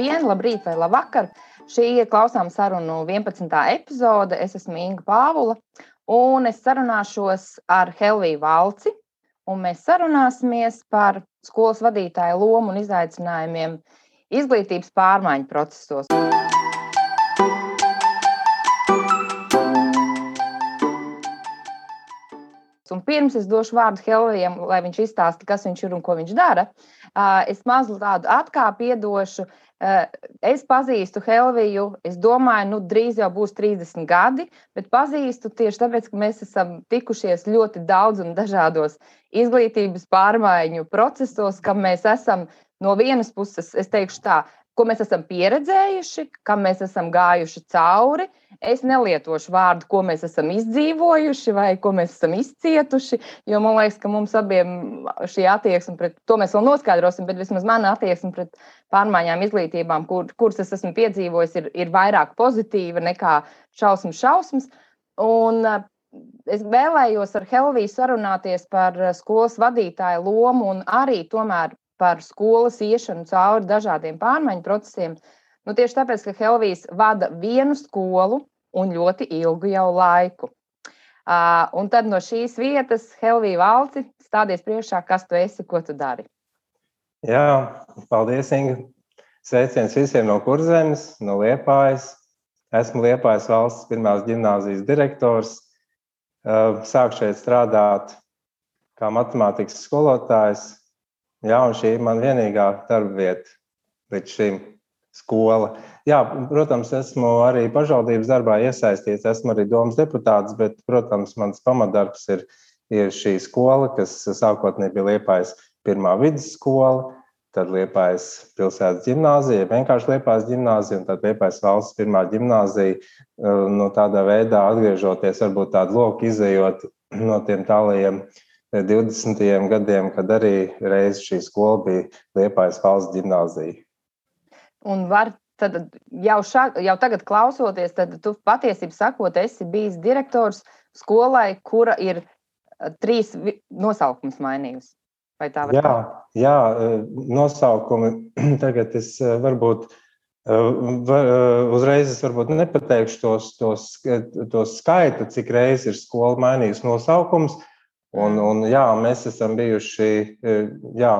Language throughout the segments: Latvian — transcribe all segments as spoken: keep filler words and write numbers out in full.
Labdien, labrīt vai labvakar. Šī ir klausām sarunu vienpadsmitā epizode. Es esmu Inga Pāvula un es sarunāšos ar Helviju Valci. Un mēs sarunāsimies par skolas vadītāju lomu un izaicinājumiem izglītības pārmaiņu procesos. Un pirms es došu vārdu Helvijam, lai viņš izstāsta, kas viņš ir un ko viņš dara, es mazliet tādu atkāpi iedošu. Es pazīstu Helviju, es domāju, nu drīz jau būs trīsdesmit gadi, bet pazīstu tieši tāpēc, ka mēs esam tikušies ļoti daudz un dažādos izglītības pārmaiņu procesos, kam mēs esam no vienas puses, es teikšu tā, ko mēs esam pieredzējuši, kam mēs esam gājuši cauri. Es nelietošu vārdu, ko mēs esam izdzīvojuši vai ko mēs esam izcietuši, jo man liekas, ka mums abiem šī attieksme pret, to mēs vēl noskaidrosim, bet vismaz mana attieksme pret pārmaiņām izglītībām, kur, kuras es esmu piedzīvojis, ir, ir vairāk pozitīva nekā šausmas šausmas. Un es vēlējos ar Helviju sarunāties par skolas vadītāju lomu un arī tomēr par skolas iešanu cauri dažādiem pārmaiņu procesiem. Nu, tieši tāpēc, ka Helvijs vada vienu skolu un ļoti ilgu jau laiku. Uh, un tad no šīs vietas, Helvija Valci, stādies priekšā, kas tu esi, ko tu dari. Jā, paldies, Inga. Sveiciens visiem no Kurzemes, no Liepājas. Esmu Liepājas valsts pirmās ģimnāzijas direktors. Uh, sāku šeit strādāt kā matemātikas skolotājs. Jā, un šī ir man vienīgā darba vieta līdz šim skola. Jā, protams, esmu arī pašvaldības darbā iesaistīts, esmu arī domas deputāts, bet, protams, mans pamatdarbs ir, ir šī skola, kas sākotnēji bija Liepājas pirmā vidusskola, tad Liepājas pilsētas ģimnāzija, vienkārši Liepājas ģimnāzija un tad Liepājas valsts pirmā ģimnāzija. No tādā veidā atgriežoties, varbūt tādu loku izejot no tiem tālajiem divdesmitajiem gadiem, kad arī reiz šī skola bija Liepājas valsts ģimnāzija. Un var tad jau, šā, jau tagad klausoties, tad tu patiesībā sakot, esi bijis direktors skolai, kura ir trīs nosaukums mainījusi. Vai tā var jā, jā, nosaukumi tagad es varbūt var, uzreiz es varbūt nepateikšu tos, tos, tos skaitu, cik reiz ir skola mainījusi nosaukums. Un, un jā, mēs esam bijuši jā,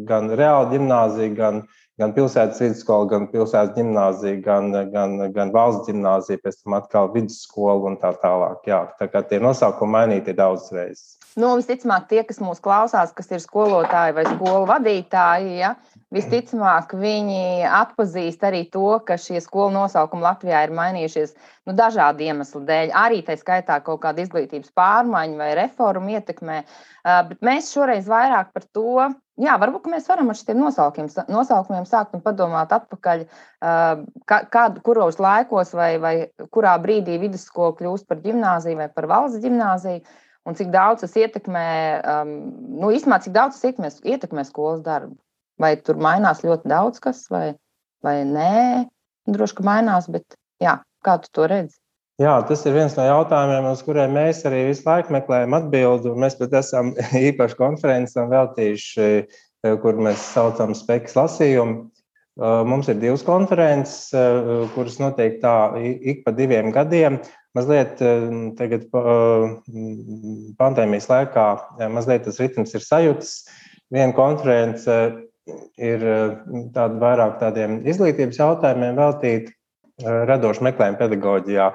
gan reāla ģimnāzija, gan, gan pilsētas vidusskola, gan pilsētas ģimnāzija, gan, gan, gan valsts ģimnāzija, pēc tam atkal vidusskola un tā tālāk. Jā, tā kā tie nosaukumi mainīti ir daudz reizes. Nu, visticamāk, tie, kas mūs klausās, kas ir skolotāji vai skolu vadītāji, ja, visticamāk, viņi atpazīst arī to, ka šie skolu nosaukumi Latvijā ir mainījušies nu, dažādu iemeslu dēļ. Arī tā skaitā kaut kāda izglītības pārmaiņa vai reforma ietekmē. Uh, bet mēs šoreiz vairāk par to, jā, varbūt mēs varam ar šiem nosaukumiem, nosaukumiem sākt un padomāt atpakaļ, uh, kādu, kuros laikos vai, vai kurā brīdī vidusskola kļūst par ģimnāziju vai par valsts ģimnāziju. Un cik daudz tas ietekmē, um, nu, īstenībā, cik daudz tas ietekmē, ietekmē skolas darbu? Vai tur mainās ļoti daudz kas, vai, vai nē? Droši, ka mainās, bet jā, kā tu to redzi? Jā, tas ir viens no jautājumiem, uz kuriem mēs arī visu laiku meklējam atbildi. Mēs pat esam īpaši konferencam veltījuši, kur mēs saucam spekas lasījumu. Mums ir divas konferences, kuras notiek tā ik pa diviem gadiem. Mazliet tagad pandēmijas laikā mazliet tas ritms ir sajūtas. Viena konference ir tāda vairāk tādiem izglītības jautājumiem veltīta, radošu meklējumu pedagoģijā,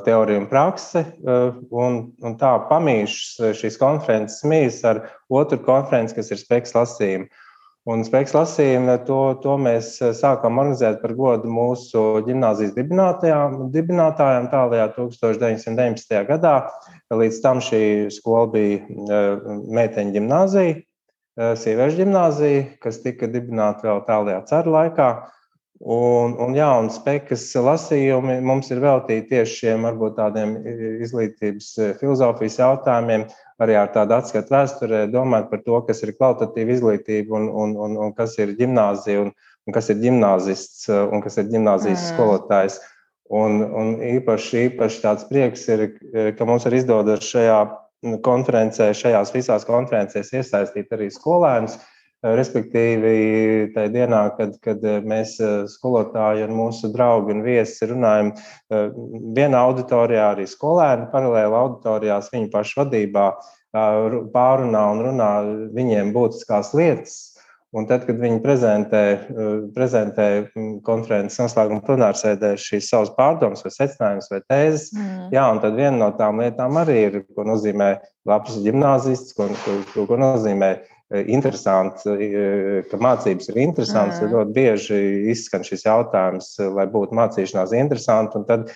teorija un prakse. Un, un tā pamīšas šīs konferences mīs ar otru konferenci, kas ir spekas lasījumi. Un spekas lasījumi, to, to mēs sākām organizēt par godu mūsu ģimnāzijas dibinātājām tālajā tūkstoš deviņsimt deviņpadsmitajā gadā. Līdz tam šī skola bija meiteņu ģimnāzija, sieviešu ģimnāzija, kas tika dibināta vēl tālajā caru laikā. Un, un, jā, un spekas lasījumi mums ir veltīti tieši šiem varbūt tādiem izglītības filozofijas jautājumiem, arī ar tādu atskatu vēsturē, domāt par to, kas ir kvalitatīva izglītība un, un, un, un kas ir ģimnāzija un, un kas ir ģimnāzists un kas ir ģimnāzijas mm. skolotājs. Un, un īpaši, īpaši tāds prieks ir, ka mums ir izdodas šajā konferencē, šajās visās konferencēs iesaistīt arī skolēnus, respektīvi tajā dienā, kad, kad mēs skolotāji un mūsu draugi un viesi runājam vienā auditorijā, arī skolēni paralēli auditorijās viņu pašu vadībā pārunā un runā viņiem būtiskās lietas. Un tad, kad viņi prezentē, prezentē konferences noslēguma plenārsēdē šīs savas pārdomas vai secinājumus vai tēzes, mm. jā, un tad viena no tām lietām arī ir, ko nozīmē labs ģimnāzists, ko, ko, ko nozīmē interesants, ka mācības ir interesants, mm. ļoti bieži izskan šis jautājums, lai būtu mācīšanās interesanti, un tad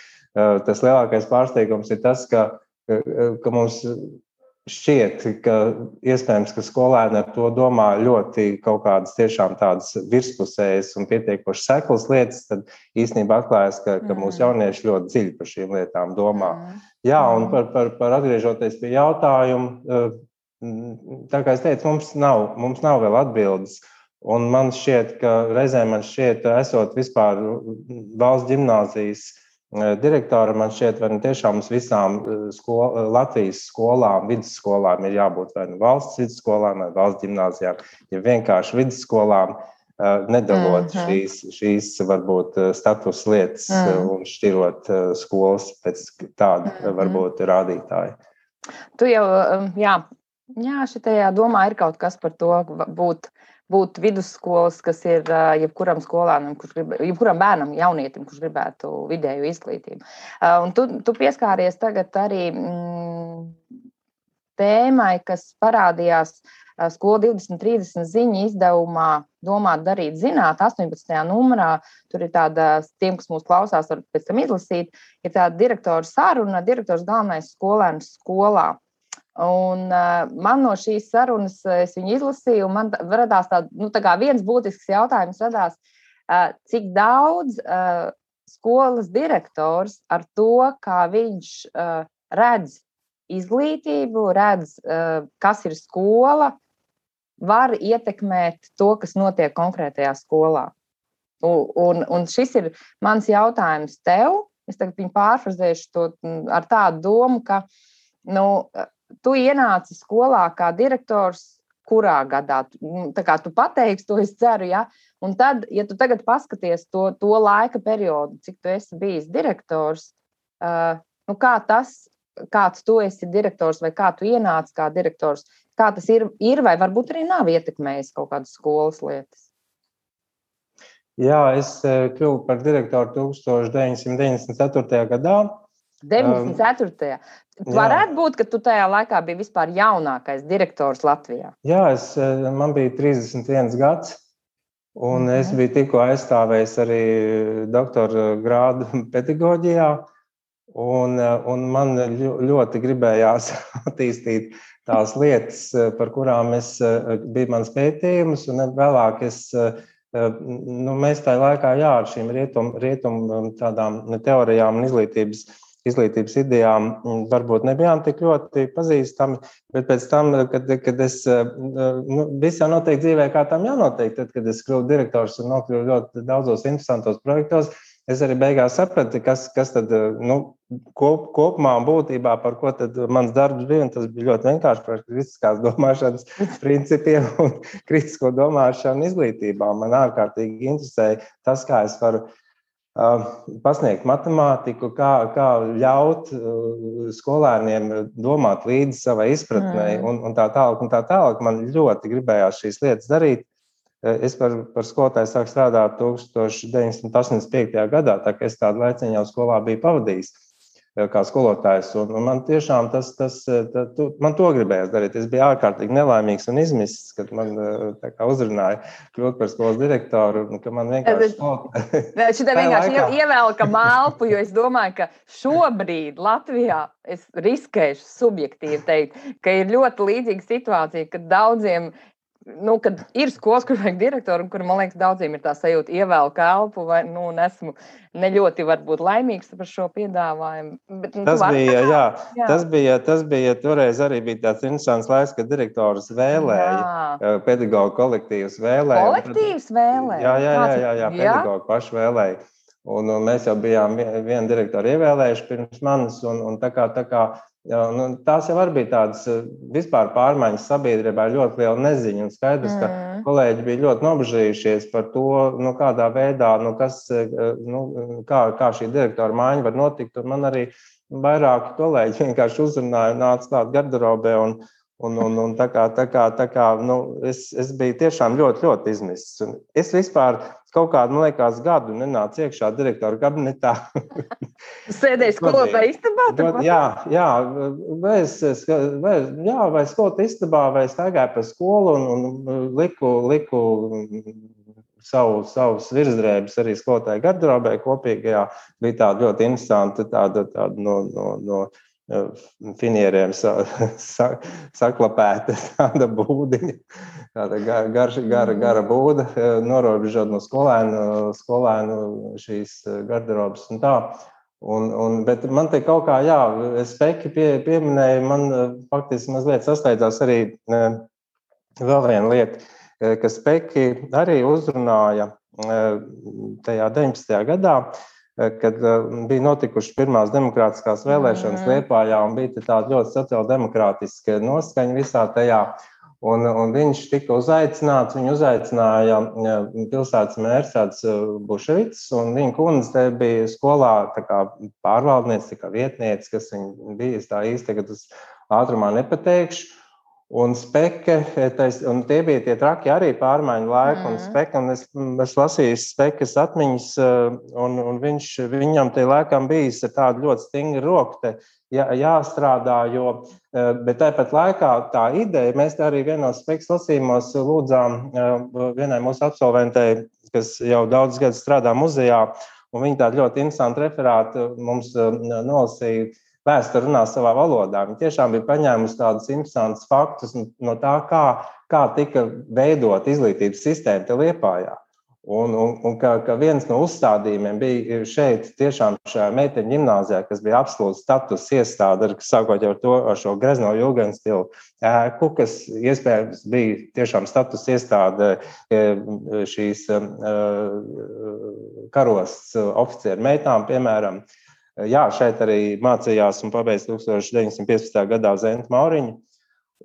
tas lielākais pārsteigums ir tas, ka, ka mums šķiet, ka iespējams, ka skolēni ar to domā ļoti kaut kādas tiešām tādas virspusējas un pietiekoši seklas lietas, tad īstenībā atklājas, ka, ka mūsu jaunieši ļoti dziļi par šīm lietām domā. Jā, un par, par, par atgriežoties pie jautājumu, tā kā es teicu, mums nav, mums nav vēl atbildes. Un man šķiet, ka reizēm man šķiet, esot vispār valsts ģimnāzijas direktora, man šķiet, vai ne tiešām mums visām skol, Latvijas skolām, vidusskolām ir jābūt vai ne valsts vidusskolām vai valsts ģimnāzijām, ja vienkārši vidusskolām nedalot mm-hmm. šīs, šīs varbūt status lietas mm. un šķirot skolas pēc tāda mm-hmm. varbūt rādītāja. Tu jau, jā, jā, šitajā domā ir kaut kas par to būt būt vidusskolas, kas ir jebkuram skolānam, kurš grib, jebkuram bērnam, jaunietim, kurš gribētu vidēju izglītību. Un tu, tu pieskāries tagad arī mm, tēmai, kas parādījās Skola divdesmit trīsdesmit ziņu izdevumā Domāt, darīt, zināt, astoņpadsmitajā numurā. Tur ir tāda, tiem, kas mūs klausās, var pēc tam izlasīt, ir tāda direktora saruna, direktors galvenais skolēns skolā. Un uh, man no šīs sarunas es viņu izlasīju, un man radās tā, nu, tā kā viens būtisks jautājums radās, uh, cik daudz uh, skolas direktors ar to, kā viņš uh, redz izglītību, redz, uh, kas ir skola, var ietekmēt to, kas notiek konkrētajā skolā. Un, un, un šis ir mans jautājums tev. Es tagad viņu pārfrazēšu to ar tādu domu, ka, nu, tu ienāci skolā kā direktors, kurā gadā? Tā kā tu pateiksi, to es ceru, ja? Un tad, ja tu tagad paskaties to, to laika periodu, cik tu esi bijis direktors, uh, nu kā tas, kāds tu esi direktors vai kā tu ienāci kā direktors, kā tas ir, ir vai varbūt arī nav ietekmējis kaut kādas skolas lietas? Jā, es kļuvu par direktoru tuksstoš deviņsimt deviņdesmit ceturtajā gadā. deviņdesmit ceturtajā Varētu būt, ka tu tajā laikā biji vispār jaunākais direktors Latvijā. Jā, es, man bija trīsdesmit viens gads, un mm-hmm. es biju tikko aizstāvējis arī doktora grādu pedagoģijā, un, un man ļoti gribējās attīstīt tās lietas, par kurām es biju mans pētījums, un vēlāk es, nu, mēs tajā laikā, jā, ar šīm rietum, rietum tādām teorijām un izglītības izglītības idejām varbūt nebijām tik ļoti pazīstami, bet pēc tam, kad, kad es, nu, viss jau notiek dzīvē, kā tam jānotiek, tad, kad es kļuvu direktors un nokļuvu ļoti daudzos interesantos projektos, es arī beigās sapratu, kas, kas tad, nu, kop, kopumā un būtībā, par ko tad mans darbs bija, un tas bija ļoti vienkārši par kritiskās domāšanas principiem un kritisko domāšanu izglītībā. Man ārkārtīgi interesēja tas, kā es varu pasniegt matemātiku, kā, kā ļaut skolēniem domāt līdzi savai izpratnei mm. un, un tā tālāk un tā tālāk. Man ļoti gribējās šīs lietas darīt. Es par, par skolotāju sāku strādāt deviņdesmit astoņdesmit piektajā gadā, tā kā es tādu laiciņu jau skolā biju pavadījis kā skolotājs. Un, un man tiešām tas, tas, tā, tu, man to gribējās darīt. Es biju ārkārtīgi nelaimīgs un izmisis, kad man tā kā uzrunāja kļūt par skolas direktoru, un ka man vienkārši skolotāji. Šitā vienkārši ievelka malpu, jo es domāju, ka šobrīd Latvijā es riskēšu subjektīvi teikt, ka ir ļoti līdzīga situācija, ka daudziem Nu, kad ir skolas, kur vajag direktoru, un kur, man liekas, daudziem ir tā sajūta ievēl kalpu, vai, nu, un esmu ne ļoti varbūt laimīgs par šo piedāvājumu. Bet, nu, tas, bija, jā, jā. Tas, bija, tas bija, toreiz arī bija tāds interesants laiks, kad direktors vēlēja, jā. pedagogu kolektīvs vēlēja. Kolektīvs vēlēja? Jā, jā, jā, jā, jā pedagogu paši vēlēja. Un, un mēs jau bijām vienu direktoru ievēlējuši pirms manis, un, un tā kā, tā kā Jā, nu, tās jau arī bija tādas vispār pārmaiņas sabiedrībā, ļoti liela neziņa. Un skaidrs, ka Mm. kolēģi bija ļoti nobežījušies par to, nu, kādā veidā, nu, kas, nu, kā, kā šī direktora maiņa var notikt. Un man arī vairāki kolēģi vienkārši uzrunāja, nāca klāt garderobē. Un, un, un, un tā kā, tā kā, tā kā nu, es, es biju tiešām ļoti, ļoti izmisis. Un es vispār kaut kādu, man liekas, gadu nenācu iekšā direktora kabinetā. Sēdēju skolotāju istabā? Jā, jā, vai es, vai, jā, vai skolotāju istabā, vai staigāju pa skolu un, un liku, liku savu, savus virsdrēbes arī skolotāju garderobē kopīgajā. Bija tāda ļoti interesanta tāda, tāda no, no, no finieriem sa, sa, saklapēta tāda būdiņa, tāda gara, gara, gara būda, norobežot no skolēnu, skolēnu šīs garderobes un tā. Un, un, bet man te kaut kā, jā, Speki pie, pieminēja, man faktiski mazliet sasteidzās arī vēl viena lieta, ka Speki arī uzrunāja tajā deviņpadsmitajā gadā, kad bija notikušas pirmās demokrātiskās vēlēšanas Liepājā un bija tāda ļoti sociāldemokrātiska noskaņa visā tajā. Un, un viņš tika uzaicināts, viņu uzaicināja pilsētas mērs tāds Buševits, un viņa kundze bija skolā tā kā pārvaldniece, tā kā vietniece, kas viņa bija, es tā īsti tagad uz ātrumā nepateikšu. Un Speke, un tie bija tie traki arī pārmaiņu laiki, un Speke, un es, es lasīju Spekas atmiņas, un, un viņš, viņam tie laikam bijis ar tādu ļoti stingru roku te jā, jāstrādā, jo, bet tāpat laikā tā ideja, mēs arī vienos Spekas lasījumos lūdzām vienai mūsu absolventei, kas jau daudz gadus strādā muzejā, un viņa tādu ļoti interesantu referātu mums nolasīja. Vēsture runā savā valodā. Viņa tiešām bija paņēmusi tādus interesantus faktus no tā, kā, kā tika veidot izglītības sistēma te Liepājā. Un, un, un ka, ka viens no uzstādījumiem bija šeit tiešām šajā meiteņu ģimnāzijā, kas bija absolūts status iestāde, sākot jau ar to, ar šo grezno jūgenstilu ēku, kas iespējams bija tiešām status iestāde šīs karosts oficieru meitām, piemēram. Jā, šeit arī mācījās un pabeidz tūkstoš deviņsimt piecpadsmitajā gadā Zenta Mauriņa,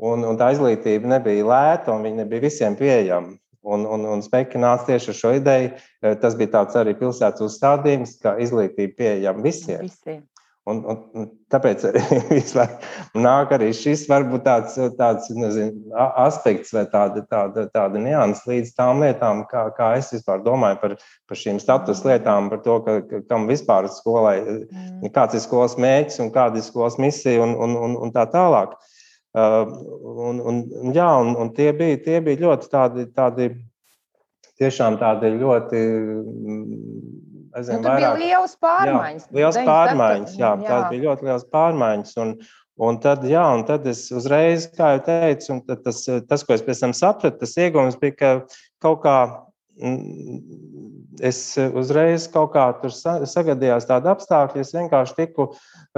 un, un tā izglītība nebija lēta, un viņa nebija visiem pieejama. Un, un, un Speki nāca tieši ar šo ideju, tas bija tāds arī pilsētas uzstādījums, ka izglītība pieejama visiem. visiem. Un, un, un tāpēc arī vislāk nāk arī šis varbūt tāds, tāds nezinu, aspekts vai tāda, tāda, tāda nianses līdz tām lietām, kā, kā es vispār domāju par, par šīm status lietām, par to, ka, ka kam vispār skolai, mm. kāds ir skolas mērķis un kāda ir skolas misija un, un, un, un tā tālāk. Uh, un, un, jā, un, un tie bija, tie bija ļoti tādi, tādi, tiešām tādi ļoti... Zinu, nu, tur vairāk, bija liels pārmaiņas. Jā, liels pārmaiņas, jā, jā. Tās bija ļoti liels pārmaiņas. Un, un, tad, jā, un tad es uzreiz, kā jau teicu, un tas, tas, ko es pēc tam sapratu, tas ieguvums bija, ka kaut kā es uzreiz kaut kā tur sagadījās tādi apstākļi, es vienkārši tiku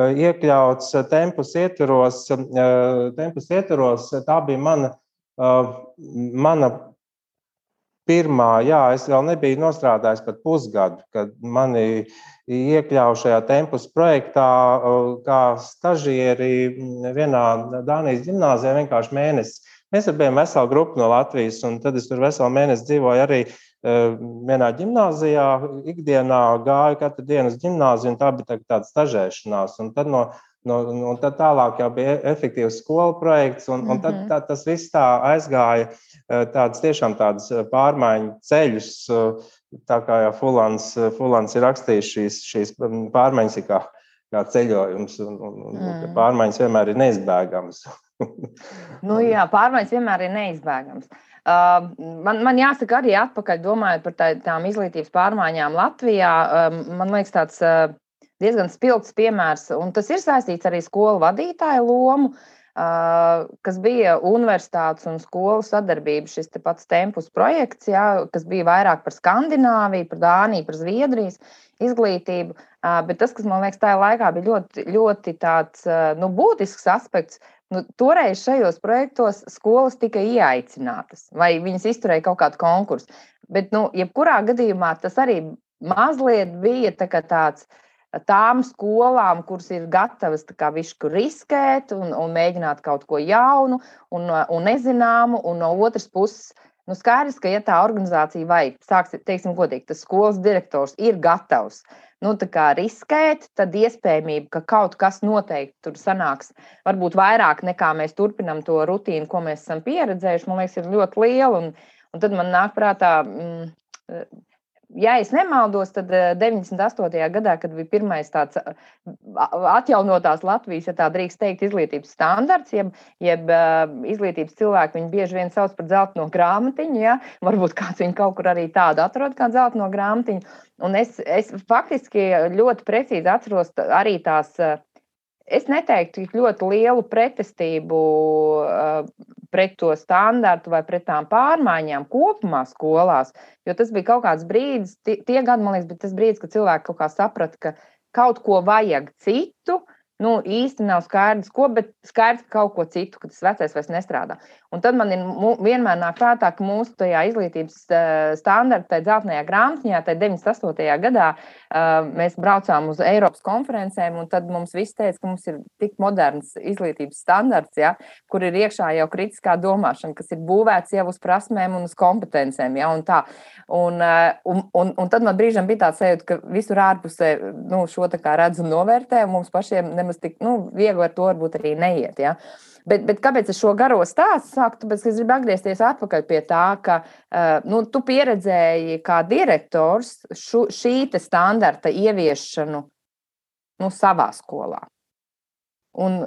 iekļauts tempus ietvaros, tempus ietvaros, tā bija mana, mana pirmā, jā, es vēl nebiju nostrādājis pat pusgadu, kad mani iekļauja šajā tempus projektā kā stažieri vienā Dānijas ģimnāzijā vienkārši mēnesi. Mēs bijām vesela grupa no Latvijas, un tad es tur veselu mēnesi dzīvoju arī vienā ģimnāzijā, ikdienā gāju katru dienu uz ģimnāziju, un tā bija tāda stažēšanās. Un tad no No, un tad tālāk jau bija efektīvs skolu projekts, un, un tad tā, tas viss tā aizgāja tāds tiešām tāds pārmaiņu ceļus, tā kā jau Fulans, Fulans ir rakstījis šīs, šīs pārmaiņas kā, kā ceļojums, un, un, un mm. pārmaiņas vienmēr ir neizbēgamas. Nu jā, pārmaiņas vienmēr ir neizbēgamas. Uh, man, man jāsaka arī atpakaļ domājot par tā, tām izglītības pārmaiņām Latvijā, um, man liekas tāds uh, diezgan spilgts piemērs, un tas ir saistīts arī skolu vadītāju lomu, kas bija universitātes un skolu sadarbība, šis te pats tempus projekts, jā, kas bija vairāk par Skandināviju, par Dāniju, par Zviedrijas izglītību, bet tas, kas man liekas tajā laikā bija ļoti, ļoti tāds, nu, būtisks aspekts, nu, toreiz šajos projektos skolas tika ieaicinātas, vai viņas izturēja kaut kādu konkursu, bet, nu, jebkurā gadījumā tas arī mazliet bija tā kā tāds, tām skolām, kuras ir gatavas tā kā višku riskēt un, un mēģināt kaut ko jaunu un, un nezināmu, un no otras puses, nu skaidrs, ka ja tā organizācija vai, sāks, teiksim godīgi, tas skolas direktors ir gatavs, nu tā kā riskēt, tad iespējamība, ka kaut kas noteikti tur sanāks, varbūt vairāk nekā mēs turpinam to rutīnu, ko mēs esam pieredzējuši, man liekas, ir ļoti liela, un, un tad man nāk prātā, mm, ja es nemaldos, tad deviņdesmit astotajā gadā, kad bija pirmais tāds atjaunotās Latvijas, ja tā drīkst teikt, izglītības standarts, jeb, jeb izglītības cilvēki, viņi bieži vien sauc par dzelteno grāmatiņu, ja? Varbūt kāds viņu kaut kur arī tādu atrod kā dzelteno grāmatiņu. Un es, es faktiski ļoti precīzi atceros arī tās, es neteiktu ļoti lielu pretestību pret to standartu vai pret tām pārmaiņām kopumā skolās, jo tas bija kaut kāds brīdis, tie, tie gadi, man liekas, bet tas brīdis, kad cilvēki kaut kā saprata, ka kaut ko vajag citu, nu īsti nav skaidrs, ko, bet skaidrs, ka kaut ko citu, ka tas vecais vairs nestrādā. Un tad man ir vienmēr nāk prātā, ka mūsu tajā izglītības standarta, tajā dzeltenajā grāmatiņā, tajā deviņdesmit astotajā gadā mēs braucām uz Eiropas konferencēm, un tad mums viss teica, ka mums ir tik moderns izglītības standarts, ja, kur ir iekšā jau kritiskā domāšana, kas ir būvēts jau uz prasmēm un uz kompetencēm, ja, un tā. Un, un, un, un tad man brīžam bija tāds sajūta, ka visur ārpusē, nu, šo tā kā redz un novērtē, un mums pašiem nemaz tik, nu, viegli ar to varbūt arī neiet, ja. Bet, bet kāpēc es šo garo stāstu sāku? Tāpēc, ka es gribu atgriezties atpakaļ pie tā, ka nu, tu pieredzēji kā direktors šu, šī te standarta ieviešanu nu, savā skolā. Un,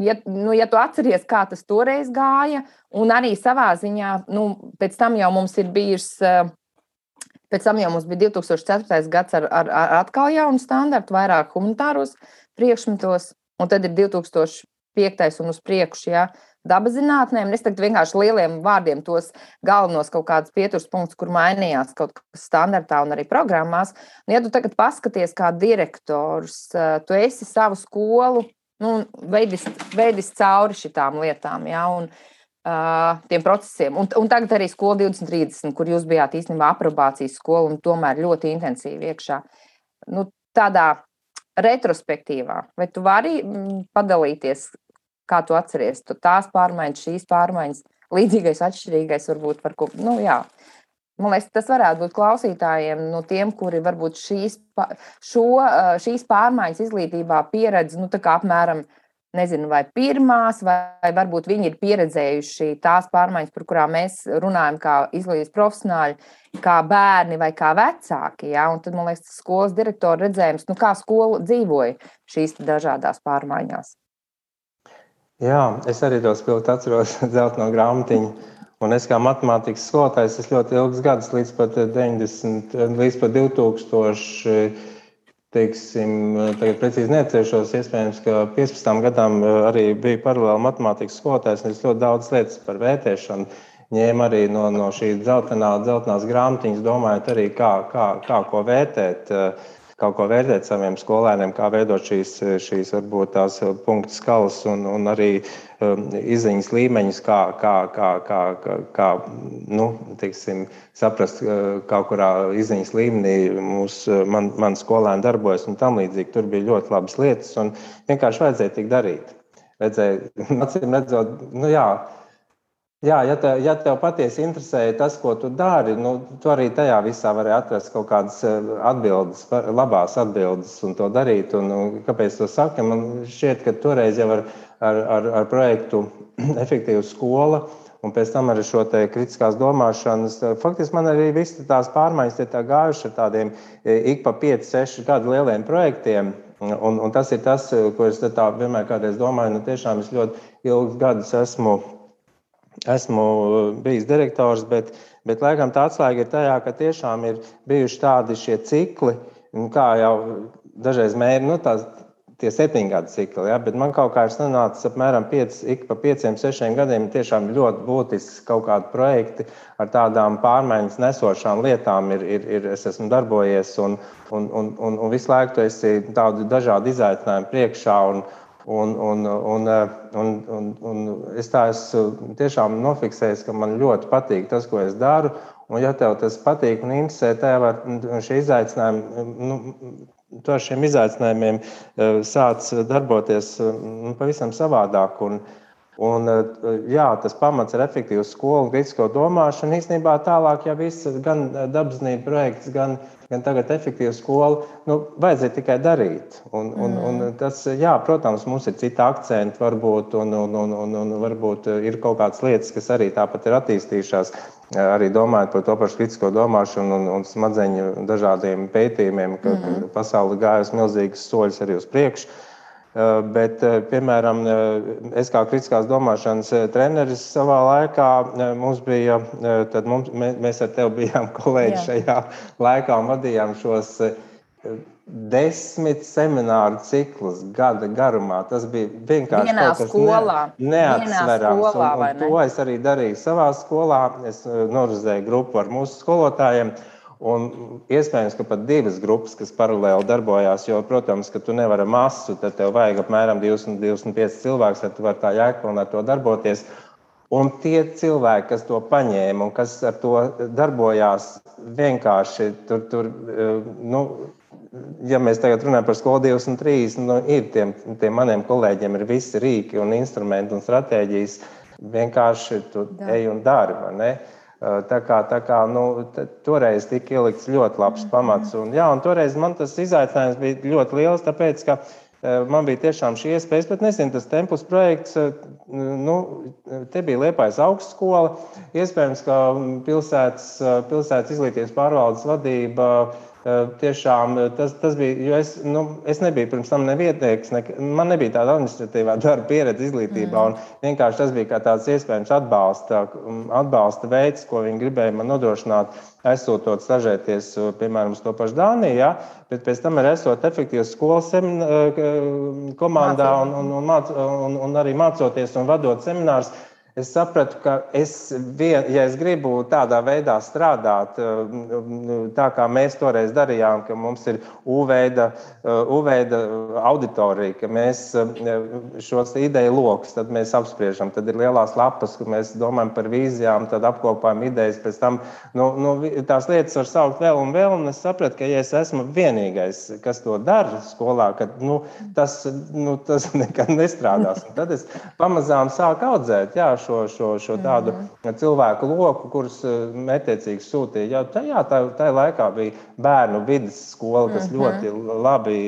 ja, nu, ja tu atceries, kā tas toreiz gāja, un arī savā ziņā, nu, pēc tam jau mums ir bijis, pēc tam jau mums bija divi tūkstoši ceturtais gads ar, ar, ar atkal jaunu standartu, vairāk humanitāros priekšmetos, un tad ir divi tūkstoši piektais un uz priekšu, ja, dabas zinātnēm. Es tagad vienkārši lieliem vārdiem tos galvenos kaut kādus pieturas punktus, kur mainījās kaut kas standartā un arī programmās. Un, ja tu tagad paskaties kā direktors, tu esi savu skolu, nu, veidis, veidis cauri šitām lietām, ja, un uh, tiem procesiem. Un, un tagad arī skola divdesmit trīsdesmit, kur jūs bijāt īstenībā aprobācijas skola un tomēr ļoti intensīvi iekšā. Nu, tādā retrospektīvā. Vai tu vari padalīties, kā tu atceries, tu tās pārmaiņas, šīs pārmaiņas, līdzīgais, atšķirīgais varbūt par ko, nu jā. Man liekas, tas varētu būt klausītājiem, no tiem, kuri varbūt šīs, šo, šīs pārmaiņas izglītībā pieredz, nu tā kā apmēram, nezinu, vai pirmās, vai varbūt viņi ir pieredzējuši tās pārmaiņas, par kurām mēs runājam kā izglītības profesionāļi, kā bērni vai kā vecāki, ja? Un tad, man liekas, skolas direktora redzējums, nu kā skola dzīvoja šīs dažādās pārmaiņās. Jā, es arī to spilgti atceros dzelteno grāmatiņu, un es kā matemātikas skolotājs, es ļoti ilgus gadus līdz pat deviņdesmit, līdz pat divtūkstoši, teiksim, tagad precīzi neatcerēšos, iespējams, ka piecpadsmit gadām arī bija paralēli matemātikas skolotājs, un es ļoti daudz lietas par vērtēšanu ņēmu arī no, no šī dzeltenā, dzeltenās grāmatiņas, domājot arī, kā, kā, kā ko vērtēt, kā ko vērtēt saviem skolēniem, kā veidot šīs, šīs varbūt tās punktu skalas un, un arī um, izziņas līmeņus, kā, kā, kā, kā, kā, kā nu, teiksim, saprast, kā kurā izziņas līmenī mūs, man, man skolēni darbojas un tam līdzīgi. Tur bija ļoti labas lietas un vienkārši vajadzēja tik darīt. Vajadzēja, acīm redzot, nu jā, Jā, ja tev, ja tev patiesi interesē tas, ko tu dari, nu, tu arī tajā visā vari atrast kaut kādas atbildes, labās atbildes un to darīt. Un, un kāpēc to saka? Man šķiet, ka toreiz jau ar, ar, ar, ar projektu efektīva skola un pēc tam arī šo te kritiskās domāšanas, faktiski man arī visi tās pārmaiņas tie tā gājuši ar tādiem ik pa pieci, seši gadu lieliem projektiem. Un, un tas ir tas, ko es tā vienmēr kādreiz domāju, nu tiešām es ļoti ilgus gadus esmu Esmu bijis direktors, bet, bet laikam tā atslēga ir tajā, ka tiešām ir bijuši tādi šie cikli, kā jau dažreiz mēri, nu tās, tie septiņgadu cikli, ja, bet man kaut kā ir sanācis apmēram pieci, ik pa pieciem, sešiem gadiem tiešām ļoti būtiski kaut kādi projekti ar tādām pārmaiņas nesošām lietām ir, ir, ir es esmu darbojies un, un, un, un, un visu laiku tu esi tādu dažādu izaicinājumu priekšā un Un, un, un, un, un, un es tā esmu tiešām nofiksējis, ka man ļoti patīk tas, ko es daru. Un, ja tev tas patīk un interesē, tev ar šie izaicinājumi, nu, tu ar šiem izaicinājumiem sāc darboties pavisam savādāk. Un, un, jā, tas pamats ir efektīvs skolu un kritisko domāšanu. Īstenībā tālāk jau viss, gan dabasnība projekts, gan, gan tagad efektīva skola, nu, vajadzēja tikai darīt. Un, un, un tas, jā, protams, mums ir cita akcenti varbūt, un, un, un, un, un varbūt ir kaut kādas lietas, kas arī tāpat ir attīstījušās. Arī domājot par to pašu kritisko domāšanu un, un smadzeņu dažādiem pētījumiem, ka, mm-hmm. ka pasauli gājas milzīgas soļus arī uz priekšu. Bet, piemēram, es kā kritiskās domāšanas treneris savā laikā, mums bija, tad mums, mēs ar tevi bijām kolēģi šajā laikā un vadījām šos desmit semināru ciklus gada garumā. Tas bija vienkārši vienā kaut kas skolā. Ne, neatsverams. Skolā, un, un to es arī darīju savā skolā. Es norizēju grupu ar mūsu skolotājiem. Un iespējams, ka pat divas grupas, kas paralēli darbojās, jo, protams, ka tu nevari masu, tad tev vajag apmēram divdesmit, divdesmit pieci cilvēks, lai tu vari tā jēgpilni ar to darboties. Un tie cilvēki, kas to paņēma un kas ar to darbojās, vienkārši tur, tur nu, ja mēs tagad runājam par skolu divdesmit trīs, nu, ir tiem, tiem maniem kolēģiem ir visi rīki un instrumenti un stratēģijas, vienkārši tu ej un dari, vai ne? Tā kā, tā kā nu, toreiz tika ielikts ļoti labs pamats. Un, jā, un toreiz man tas izaicinājums bija ļoti liels, tāpēc, ka man bija tiešām šī iespējas, bet nezinu, tas Tempus projekts, nu, te bija Liepājas augstskola, iespējams, ka pilsētas, pilsētas izglītības pārvaldes vadība, tiešām tas, tas bija, jo es, nu, es nebiju pirms tam nevietnieks, ne, man nebija tāda administratīvā darba pieredze izglītībā, un vienkārši tas bija kā tāds iespējams atbalsta, atbalsta veids, ko viņi gribēja man nodrošināt, aizsūtot stažēties, piemēram, uz to pašu Dāniju, ja? Bet pēc tam ir esot efektīvas skolas komandā un, un, un, māc, un, un arī mācoties un vadot seminārus. Es sapratu, ka es, vien, ja es gribu tādā veidā strādāt, tā kā mēs toreiz darījām, ka mums ir U-veida, U-veida auditorija, ka mēs šos ideju lokus, tad mēs apspriežam, tad ir lielās lapas, ka mēs domājam par vīzijām, tad apkopājam idejas, pēc tam nu, nu, tās lietas var saukt vēl un vēl, un es sapratu, ka ja es esmu vienīgais, kas to dara skolā, ka nu, tas, nu, tas nekad nestrādās. Un tad es pamazām sāku audzēt, jā, šo, šo, šo tādu mm-hmm. cilvēku loku, kurus mērķiecīgi sūtīja. Jau tajā tā, tā laikā bija bērnu vides skola, kas mm-hmm. ļoti labi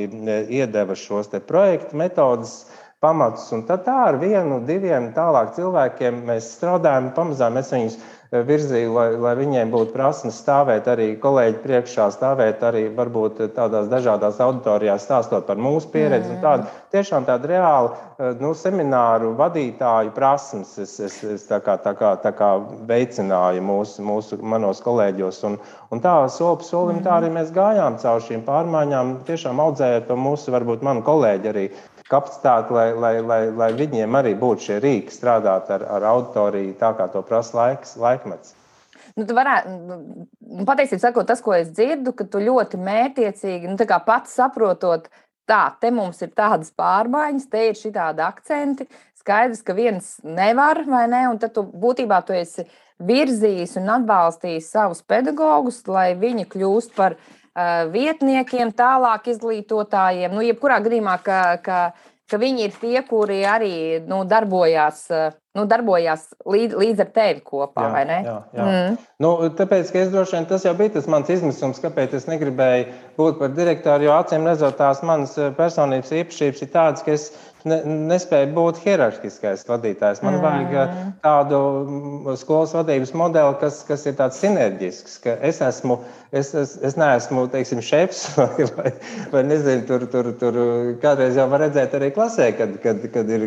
iedeva šos te projektu metodas pamatus. Un tad tā ar vienu, diviem tālāk cilvēkiem mēs strādājam, pamazām mēs viņus virzīju, lai, lai viņiem būtu prasmes stāvēt arī kolēģi priekšā, stāvēt arī varbūt tādās dažādās auditorijās, stāstot par mūsu pieredzi. Mm. Un tādu, tiešām tādu reālu nu, semināru vadītāju prasmes es, es, es tā kā, tā kā, tā kā veicināju mūsu, mūsu manos kolēģos. Un, un tā soli pa solim tā arī mēs gājām caur šīm pārmaiņām, tiešām audzējot to mūsu, varbūt manu kolēģi arī kapacitāti, lai, lai, lai, lai viņiem arī būtu šie rīki strādāt ar, ar auditoriju, tā kā to prasa laiks, laikmets. Nu, tu varētu, nu, patiesībā sakot, tas, ko es dzirdu, ka tu ļoti mērķiecīgi, nu, tā kā pats saprotot, tā, te mums ir tādas pārmaiņas, te ir šitādi akcenti, skaidrs, ka viens nevar, vai ne, un tad tu būtībā tu esi virzījis un atbalstījis savus pedagogus, lai viņi kļūst par vietniekiem, tālāk izglītotājiem, nu, jebkurā gadījumā, ka, ka, ka viņi ir tie, kuri arī nu, darbojās, nu, darbojās līdz, līdz ar tevi kopā, jā, vai ne? Jā, jā. Mm. Nu, tāpēc, ka es droši vien, tas jau bija tas mans izmisums, kāpēc es negribēju būt par direktoru, jo acīm redzot tās manas personības īpašības ir tādas, ka es Ne, nespēju būt hierarhiskais vadītājs. Man mm. vajag tādu skolas vadības modeli, kas, kas ir tāds sinerģisks, ka es esmu, es, es, es neesmu, teiksim, šefs vai, vai, vai nezinu, tur, tur, tur kādreiz jau var redzēt arī klasē, kad, kad, kad ir,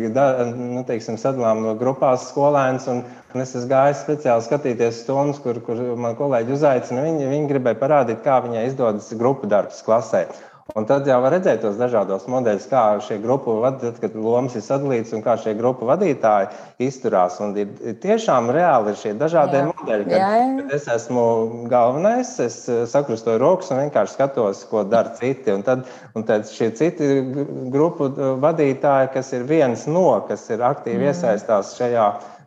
nu, teiksim, sadalām no grupās skolēns un, un es esmu gājis speciāli skatīties stundas, kur, kur man kolēģi uzaicina, viņi, viņi gribēja parādīt, kā viņai izdodas grupu darbs klasē. Un tad jau var redzēt tos dažādos modeļus, kā šie grupu vadītāji, kad lomas ir sadalītas un kā šie grupu vadītāji izturās. Un ir, tiešām reāli ir šie dažādie jā. modeļi, kad, jā, jā. kad es esmu galvenais, es sakrustoju rokas un vienkārši skatos, ko dara citi. Un tad, un tad šie citi grupu vadītāji, kas ir viens no, kas ir aktīvi mm. iesaistās šajā,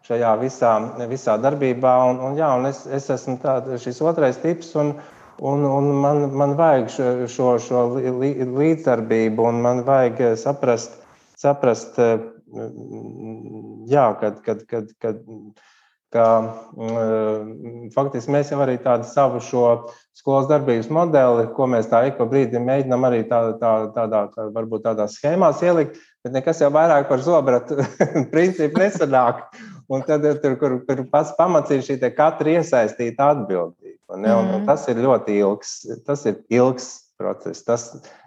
šajā visā, visā darbībā. Un, un, jā, un es, es esmu tā, šis otrais tips. Un, un, un man, man vajag šo, šo, šo līdzdarbību, un man vajag saprast, saprast jā, kad, kad, kad, kad, ka faktiski mēs jau arī tādu savu šo skolas darbības modeli, ko mēs tā ik pa brīdim mēģinām arī tā, tā, tādā, tā, varbūt tādā schēmās ielikt, bet nekas jau vairāk par zobratu principu nesanāk. Un tad tur, kur, kur pats pamats ir šī te katra iesaistīta atbildība. Un, ja, un, un tas ir ļoti ilgs, tas ir ilgs process. Tas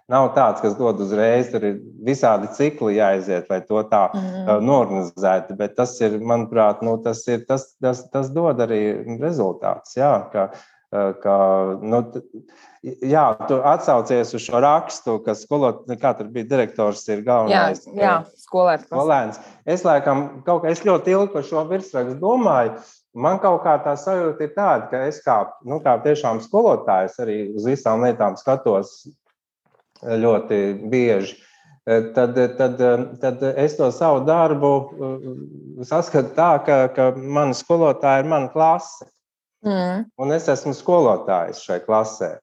nav tāds, kas dod uzreiz, tur ir visādi cikli jāaiziet, lai to tā mm. norganizētu. Bet tas ir, manuprāt, nu, tas, ir, tas, tas, tas dod arī rezultāts. Jā, ka, ka, nu, jā, tu atsaucies uz šo rakstu, ka skolot, kā tur bija direktors, ir galvenais. Jā, jā skolēns. skolēns. Es laikam, kaut kā, es ļoti ilgi par šo virsrakstu domāju. Man kaut kā tā sajūta ir tāda, ka es kā, nu, kā tiešām skolotājs arī uz visām lietām skatos ļoti bieži. Tad, tad, tad es to savu darbu saskatu tā, ka, ka mani skolotāji ir mana klase. Mm. Un es esmu skolotājs šai klasē.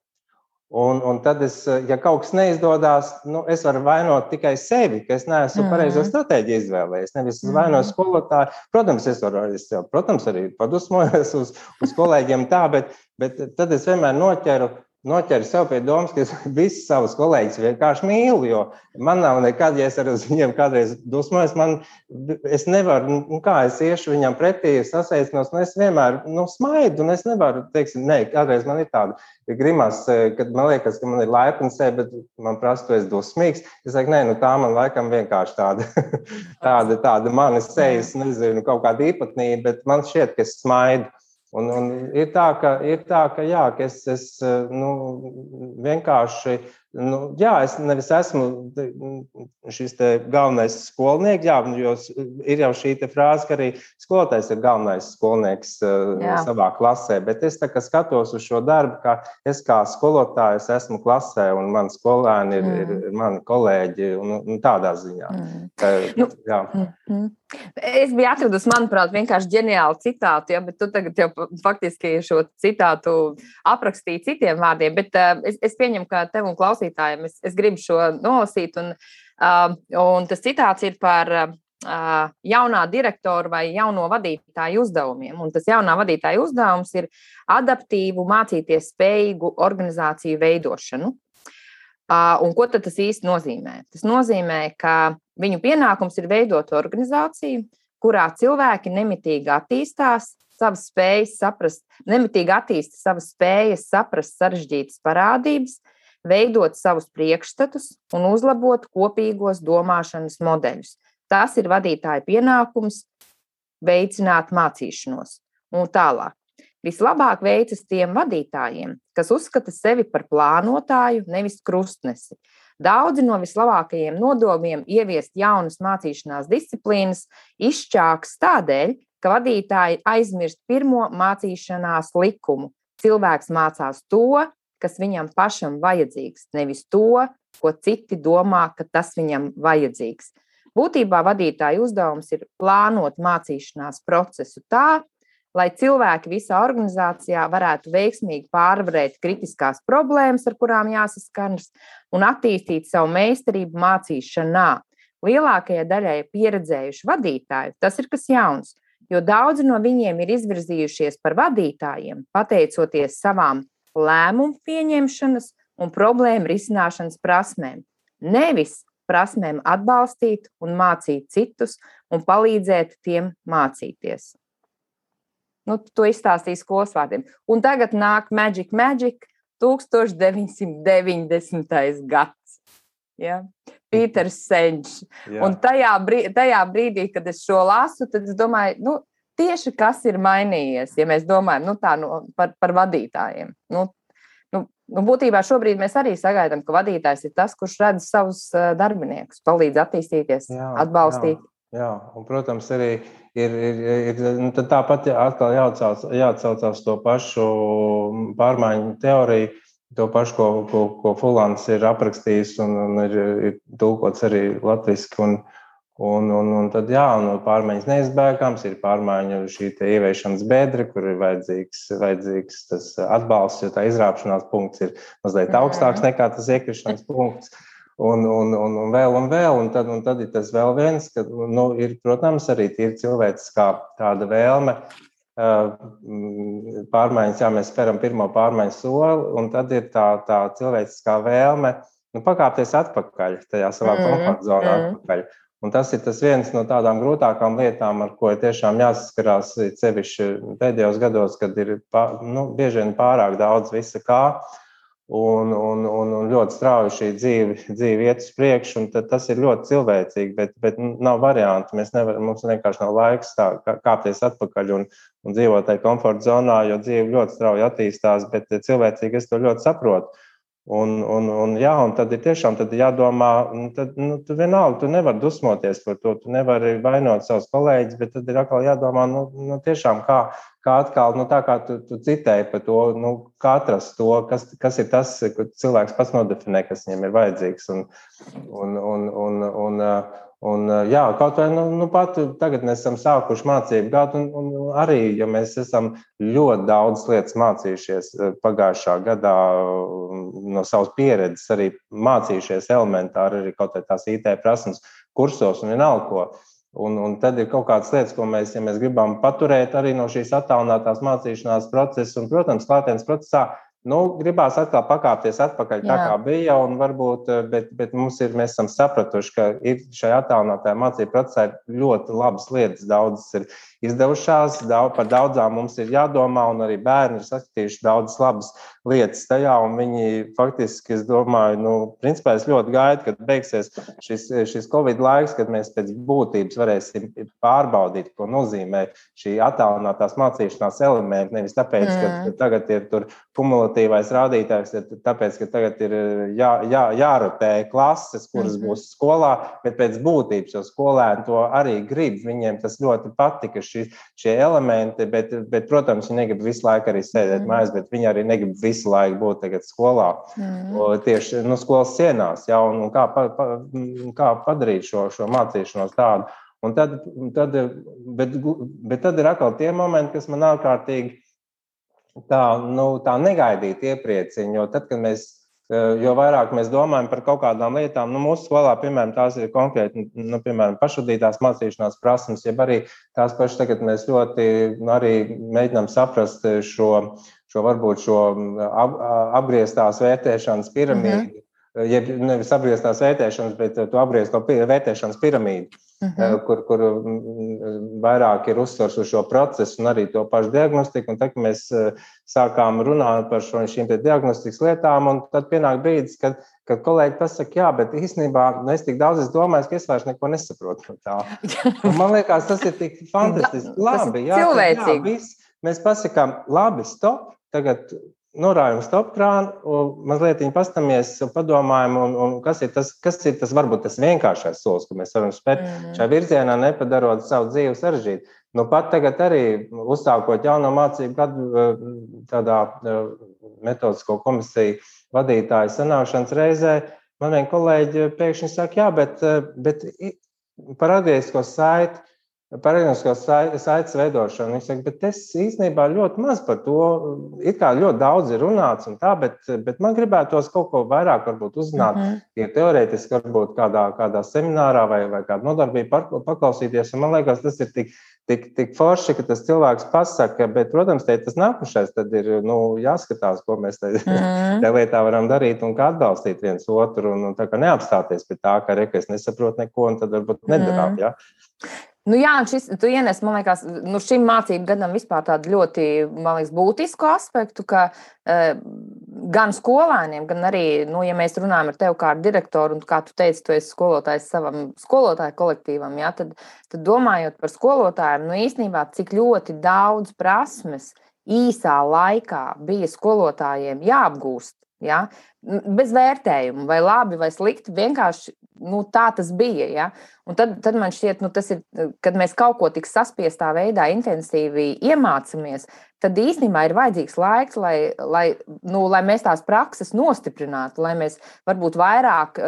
Un, un tad, es, ja kaut kas neizdodas, nu, es varu vainot tikai sevi, ka es neesmu mm. pareizo stratēģiju izvēlējies. Nevis es vainoju skolotāju. Protams, es varu es jau, protams, arī padusmojos uz, uz kolēģiem tā, bet, bet tad es vienmēr noķeru, noķeru sev pie domas, ka es visus savus kolēģus vienkārši mīlu, jo man nav nekad, ja es ar viņiem kādreiz dusmojos, man, es nevaru, nu kā es iešu viņam pretī, sasveicinos, un es vienmēr, nu, smaidu, un es nevaru, teiksim, ne, kādreiz man ir tāda grimas, kad man liekas, ka man ir laipni sevi, bet man prasa, tu esi dusmīgs. Es saku, nē, nu tā man laikam vienkārši tāda, tāda, tāda manis sejas, nezinu, kaut kāda īpatnība, bet man šķiet, ka es smaidu. Un, un ir tā, ka, ir tā, ka, jā, ka es, es nu, vienkārši, nu, jā, es nevis esmu šis te galvenais skolnieks, jā, jo ir jau šī te frāze, ka arī skolotājs ir galvenais skolnieks jā. savā klasē, bet es tā kā skatos uz šo darbu, ka es kā skolotājs esmu klasē un mani skolēni ir, mm. ir, ir mani kolēģi un, un tādā ziņā. Mm. Tā, nu, jā. Mm. Es biju atradusi, manuprāt, vienkārši ģeniālu citātu, ja, bet tu tagad jau faktiski šo citātu aprakstīji citiem vārdiem, bet uh, es, es pieņemu, ka tev un klausītājiem es, es gribu šo nolasīt, un, uh, un tas citāts ir par uh, jaunā direktora vai jauno vadītāju uzdevumiem, un tas jaunā vadītāja uzdevums ir adaptīvu, mācīties spējīgu organizāciju veidošanu. Uh, un ko tad tas īsti nozīmē? Tas nozīmē, ka viņu pienākums ir veidot organizāciju, kurā cilvēki nemitīgi attīstās, savas spējas saprast, nemitīgi attīsta savas spējas saprast sarežģītas parādības, veidot savus priekšstatus un uzlabot kopīgos domāšanas modeļus. Tas ir vadītāja pienākums veicināt mācīšanos. Un tālāk. Vislabāk veicas tiem vadītājiem, kas uzskata sevi par plānotāju, nevis krustnesi. Daudzi no vislabākajiem nodomiem ieviest jaunas mācīšanās disciplīnas izšķāks tādēļ, ka vadītāji aizmirst pirmo mācīšanās likumu. Cilvēks mācās to, kas viņam pašam vajadzīgs, nevis to, ko citi domā, ka tas viņam vajadzīgs. Būtībā vadītāja uzdevums ir plānot mācīšanās procesu tā, lai cilvēki visā organizācijā varētu veiksmīgi pārvarēt kritiskās problēmas, ar kurām jāsaskaras, un attīstīt savu meistarību mācīšanā. Lielākajai daļai pieredzējuši vadītāju tas ir kas jauns, jo daudzi no viņiem ir izvirzījušies par vadītājiem, pateicoties savām lēmumu pieņemšanas un problēmu risināšanas prasmēm. Nevis prasmēm atbalstīt un mācīt citus un palīdzēt tiem mācīties. Nu, to izstāstīja skolas vārdiem. Un tagad nāk Magic Magic, tūkstoš deviņsimt deviņdesmitais gads. Ja? Pīters Senčs. Un tajā, brīdī, tajā brīdī, kad es šo lasu, tad es domāju, nu, tieši kas ir mainījies, ja mēs domājam nu, tā, nu, par, par vadītājiem. Nu, nu, nu, būtībā šobrīd mēs arī sagaidām, ka vadītājs ir tas, kurš redz savus darbiniekus, palīdz attīstīties, jā, atbalstīt. Jā. Jā, un, protams, arī ir, ir, ir nu, tāpat atkal jāatsauc, jāatsaucās to pašu pārmaiņu teoriju, to pašu, ko, ko, ko Fulans ir aprakstījis un, un ir, ir tulkots arī latviski, un, Un, un, un tad, jā, un pārmaiņas neizbēgams, ir pārmaiņu šī ieviešanas bedra, kur ir vajadzīgs, vajadzīgs tas atbalsts, jo tā izrāpšanās punkts ir mazliet augstāks nekā tas iekrišanas punkts. Un, un, un, un vēl, un vēl, un tad, un tad ir tas vēl viens, ka, nu, ir, protams, arī ir cilvēciskā tāda vēlme pārmaiņas, jā, mēs speram pirmo pārmaiņu soli, un tad ir tā, tā cilvēciskā vēlme, nu, pakāpties atpakaļ, tajā savā komforta zonā atpakaļ. Un tas ir tas viens no tādām grūtākām lietām, ar ko ir tiešām jāsaskarās sevišķi pēdējos gados, kad ir pār, nu, bieži vien pārāk daudz visa kā, un, un, un, un ļoti strauji šī dzīve, dzīve iet uz priekšu, un tad tas ir ļoti cilvēcīgi, bet, bet nav variantu. Mēs nevar, mums vienkārši nav laiks tā, kāpties atpakaļ un, un dzīvot tajā komforta zonā, jo dzīve ļoti strauji attīstās, bet cilvēcīgi es to ļoti saprotu. Un, un, un, jā, un tad ir tiešām tad jādomā, tad, nu, tu vienalga, tu nevari dusmoties par to, tu nevari vainot savus kolēģus, bet tad ir atkal jādomā, nu, nu tiešām kā, kā atkal, nu tā kā tu, tu citēji par to, nu, kā atrast to, kas, kas ir tas, ko cilvēks pats nodefinē, kas viņam ir vajadzīgs. Un, un, un, un, un, un jā, kaut vai, nu, nu pat tagad mēs esam sākuši mācību gadu, un, un arī, ja mēs esam ļoti daudz lietas mācījušies pagājušā gadā no savas pieredzes, arī mācījušies elementāri, arī kaut vai tās I T prasmes kursos un vienalga ko. Un, un tad ir kaut kādas lietas, ko mēs, ja mēs gribam paturēt arī no šīs attālinātās mācīšanās procesa, un, protams, klātienes procesā, nu, gribās atkal pakāpties atpakaļ tā, kā bija, un varbūt, bet, bet mums ir, mēs esam sapratuši, ka ir šajā attālinātajā mācību procesā ir ļoti labas lietas, daudzas ir izdevušās, daudz, par daudzām mums ir jādomā, un arī bērni ir saskatījuši daudzas labas lietas tajā, un viņi faktiski, es domāju, nu, principā es ļoti gaidu, kad beigsies šis, šis Covid laiks, kad mēs pēc būtības varēsim pārbaudīt, ko nozīmē šī attālinātās mācīšanās elementi, nevis tāpēc, mm. ka tagad ir tur kumulatīvais rādītājs, tāpēc, ka tagad ir jā, jā, jārotē klases, kuras mm-hmm. būs skolā, bet pēc būtības, jo skolēni to arī grib, viņiem tas ļoti patika, šī, šie elementi, bet, bet, protams, viņi negrib visu laiku arī sēdēt mm. mājās, bet viņi arī negrib visu laiku būt tagad skolā, mm. tieši nu, skolas sienās, ja, un, un kā, pa, pa, kā padarīt šo, šo mācīšanos tādu. Un tad, tad, bet, bet tad ir atkal tie momenti, kas man ārkārtīgi tā, nu, tā negaidīti iepriecina, jo tad, kad mēs jo vairāk mēs domājam par kaut kādām lietām, nu, mūsu skolā, piemēram, tās ir konkrēti, nu, piemēram, pašvadītās mācīšanās prasmes, jeb arī tās pašas tagad mēs ļoti nu, arī mēģinām saprast šo, šo varbūt šo ap, apgrieztās vērtēšanas piramīdu, mm-hmm. jeb nevis apgrieztās vērtēšanas, bet tu apgriez to vērtēšanas piramīdu, mm-hmm. kur, kur vairāk ir uzsvars uz šo procesu un arī to pašu diagnostiku. Un tad, kad mēs sākām runāt par šo, šīm te diagnostikas lietām, un tad pienāk brīdis, kad, kad kolēģi pasaka, jā, bet īstenībā nu, es tik daudz es domāju, ka es vairs neko nesaprotu no tā. Un man liekas, tas ir tik fantastiski. Labi, jā, tad, jā, viss. Mēs pasakām, labi, stop, tagad norājam stop krānu, mazliet viņi pastamies, padomājam, un, un kas ir tas, kas ir tas, varbūt tas vienkāršais solis, ko mēs varam spēt mm-hmm. šajā virzienā, nepadarot savu dzīvi sarežģīt. Nu, pat tagad arī uzsākot jauno mācību gadu tādā metodisko komisiju vadītāju sanākšanas reizē, man vien kolēģi pēkšņi saka, jā, bet, bet par atgriezisko saiti, par atgrieziskos saites veidošanu. Viņš saka, bet es īstenībā ļoti maz par to, it kā ļoti daudz ir runāts un tā, bet, bet man gribētos kaut ko vairāk varbūt uzzināt, mm-hmm. ja teorētiski varbūt kādā, kādā seminārā vai, vai kādā nodarbībā paklausīties. Un man liekas, tas ir tik, tik, tik forši, ka tas cilvēks pasaka, bet, protams, te tas nākušais tad ir nu, jāskatās, ko mēs te, mm-hmm. te lietā varam darīt un kā atbalstīt viens otru un, un tā kā neapstāties pie tā, ka re, ka es nesaprotu neko un tad varbūt nedarām, mm-hmm. ja? Nu jā, šis, tu ienes, man liekas, nu šim mācību gadam vispār tādu ļoti, man liekas, būtisku aspektu, ka uh, gan skolēniem, gan arī, nu, ja mēs runājam ar tevi kā ar direktoru, un kā tu teici, tu esi skolotājs savam skolotāju kolektīvam, jā, tad, tad domājot par skolotājiem, nu īstenībā, cik ļoti daudz prasmes īsā laikā bija skolotājiem jāapgūst. Ja? bez vērtējuma, vai labi, vai slikti, vienkārši nu, tā tas bija. Ja? Un tad, tad man šķiet, nu, tas ir, kad mēs kaut ko tik saspiestā veidā intensīvi iemācāmies, tad īstenībā ir vajadzīgs laiks, lai, lai, nu, lai mēs tās prakses nostiprinātu, lai mēs varbūt vairāk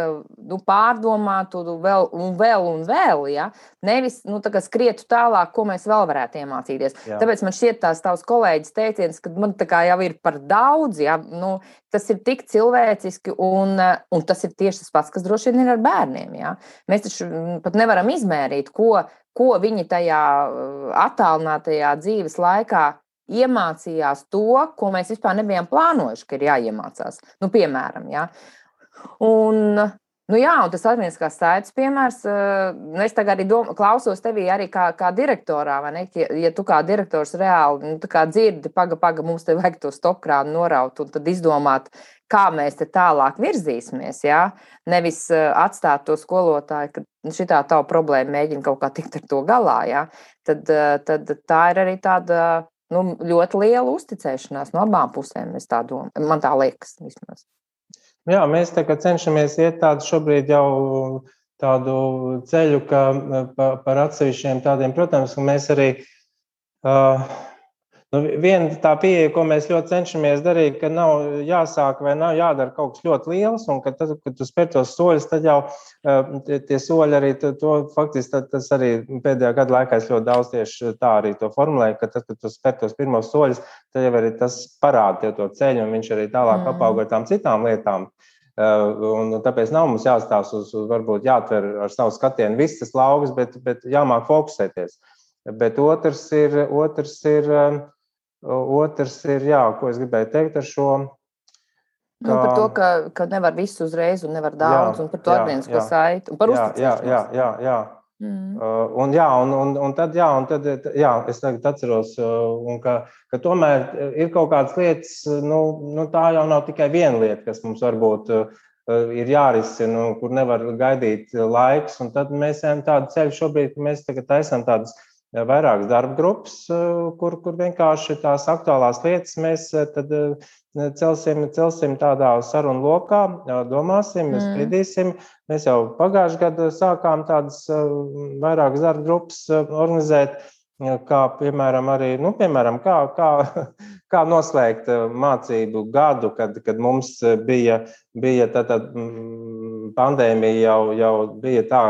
nu, pārdomātu vēl un vēl un vēl. Ja? Nevis nu, skrietu tālāk, ko mēs vēl varētu iemācīties. Jā. Tāpēc man šķiet tās tavs kolēģis teiciens, ka man tā kā jau ir par daudz, ja? Nu, tas ir tik cilvēciski un, un tas ir tieši tas pats, kas droši vien ir ar bērniem. Ja? Mēs taču pat nevaram izmērīt, ko, ko viņi tajā attālinātajā dzīves laikā iemācījās to, ko mēs vispār nebijām plānojuši, ka ir jāiemācās. Nu, piemēram, ja? Un, nu jā, un tas atmiņas saites piemērs, nu es tagad arī dom, klausos tevī arī kā, kā direktorā, vai ne? Ja, ja tu kā direktors reāli, nu, tā kā dzirdi, paga, paga, mums te vajag to stopkrānu noraut un tad izdomāt, kā mēs te tālāk virzīsimies, ja? Nevis atstāt to skolotāju, ka šitā tava problēma mēģina kaut kā tikt ar to galā, ja? Tad, tad tā ir arī tāda nu, ļoti liela uzticēšanās no abām pusēm, es tā domāju. Man tā liekas vismaz. Jā, mēs tā kā cenšamies iet tādu šobrīd jau tādu ceļu, ka pa, par atsevišķiem tādiem, protams, un mēs arī uh, nu, viena tā pieeja, ko mēs ļoti cenšamies darīt, ka nav jāsāk vai nav jādara kaut kas ļoti liels, un ka tad, kad tu spēr tos soļus, tad jau tie, tie soļi arī, to, to faktiski tad, tas arī pēdējā gada laikā es ļoti daudz tieši tā arī to formulēju, ka tad, kad tu spēr tos pirmos soļus, tad jau arī tas parāda tev to ceļu, un viņš arī tālāk mm. apauga ar tām citām lietām. Un tāpēc nav mums jāstāsta uz, uz varbūt jātver ar savu skatienu viss tas lauks, bet, bet jāmāk fokusēties. Bet otrs ir, otrs ir, otrs ir, jā, ko es gribēju teikt ar šo. Ka, nu, par to, ka, ka nevar visu uzreiz un nevar daudz, jā, un par to atvienisko saiti, un par uzticēšanos. Jā, jā, jā, jā. Mm. Uh, un jā, un, un, un tad, jā, un tad, jā, es tagad atceros, uh, un ka, ka tomēr ir kaut kādas lietas, nu, nu tā jau nav tikai viena lieta, kas mums varbūt uh, ir jārisina, nu, kur nevar gaidīt laiks, un tad mēs ejam tādu ceļu šobrīd, ka mēs tagad taisam tādas vairākas darba grupas, kur, kur vienkārši tās aktuālās lietas mēs tad celsim, celsim tādā sarunu lokā, domāsim, mm. spriedīsim. Mēs jau pagājušajā gadā sākām tādas vairākas darba grupas organizēt, kā piemēram arī, nu, piemēram, kā, kā, kā noslēgt mācību gadu, kad, kad mums bija, bija tātad pandēmija jau, jau bija tā,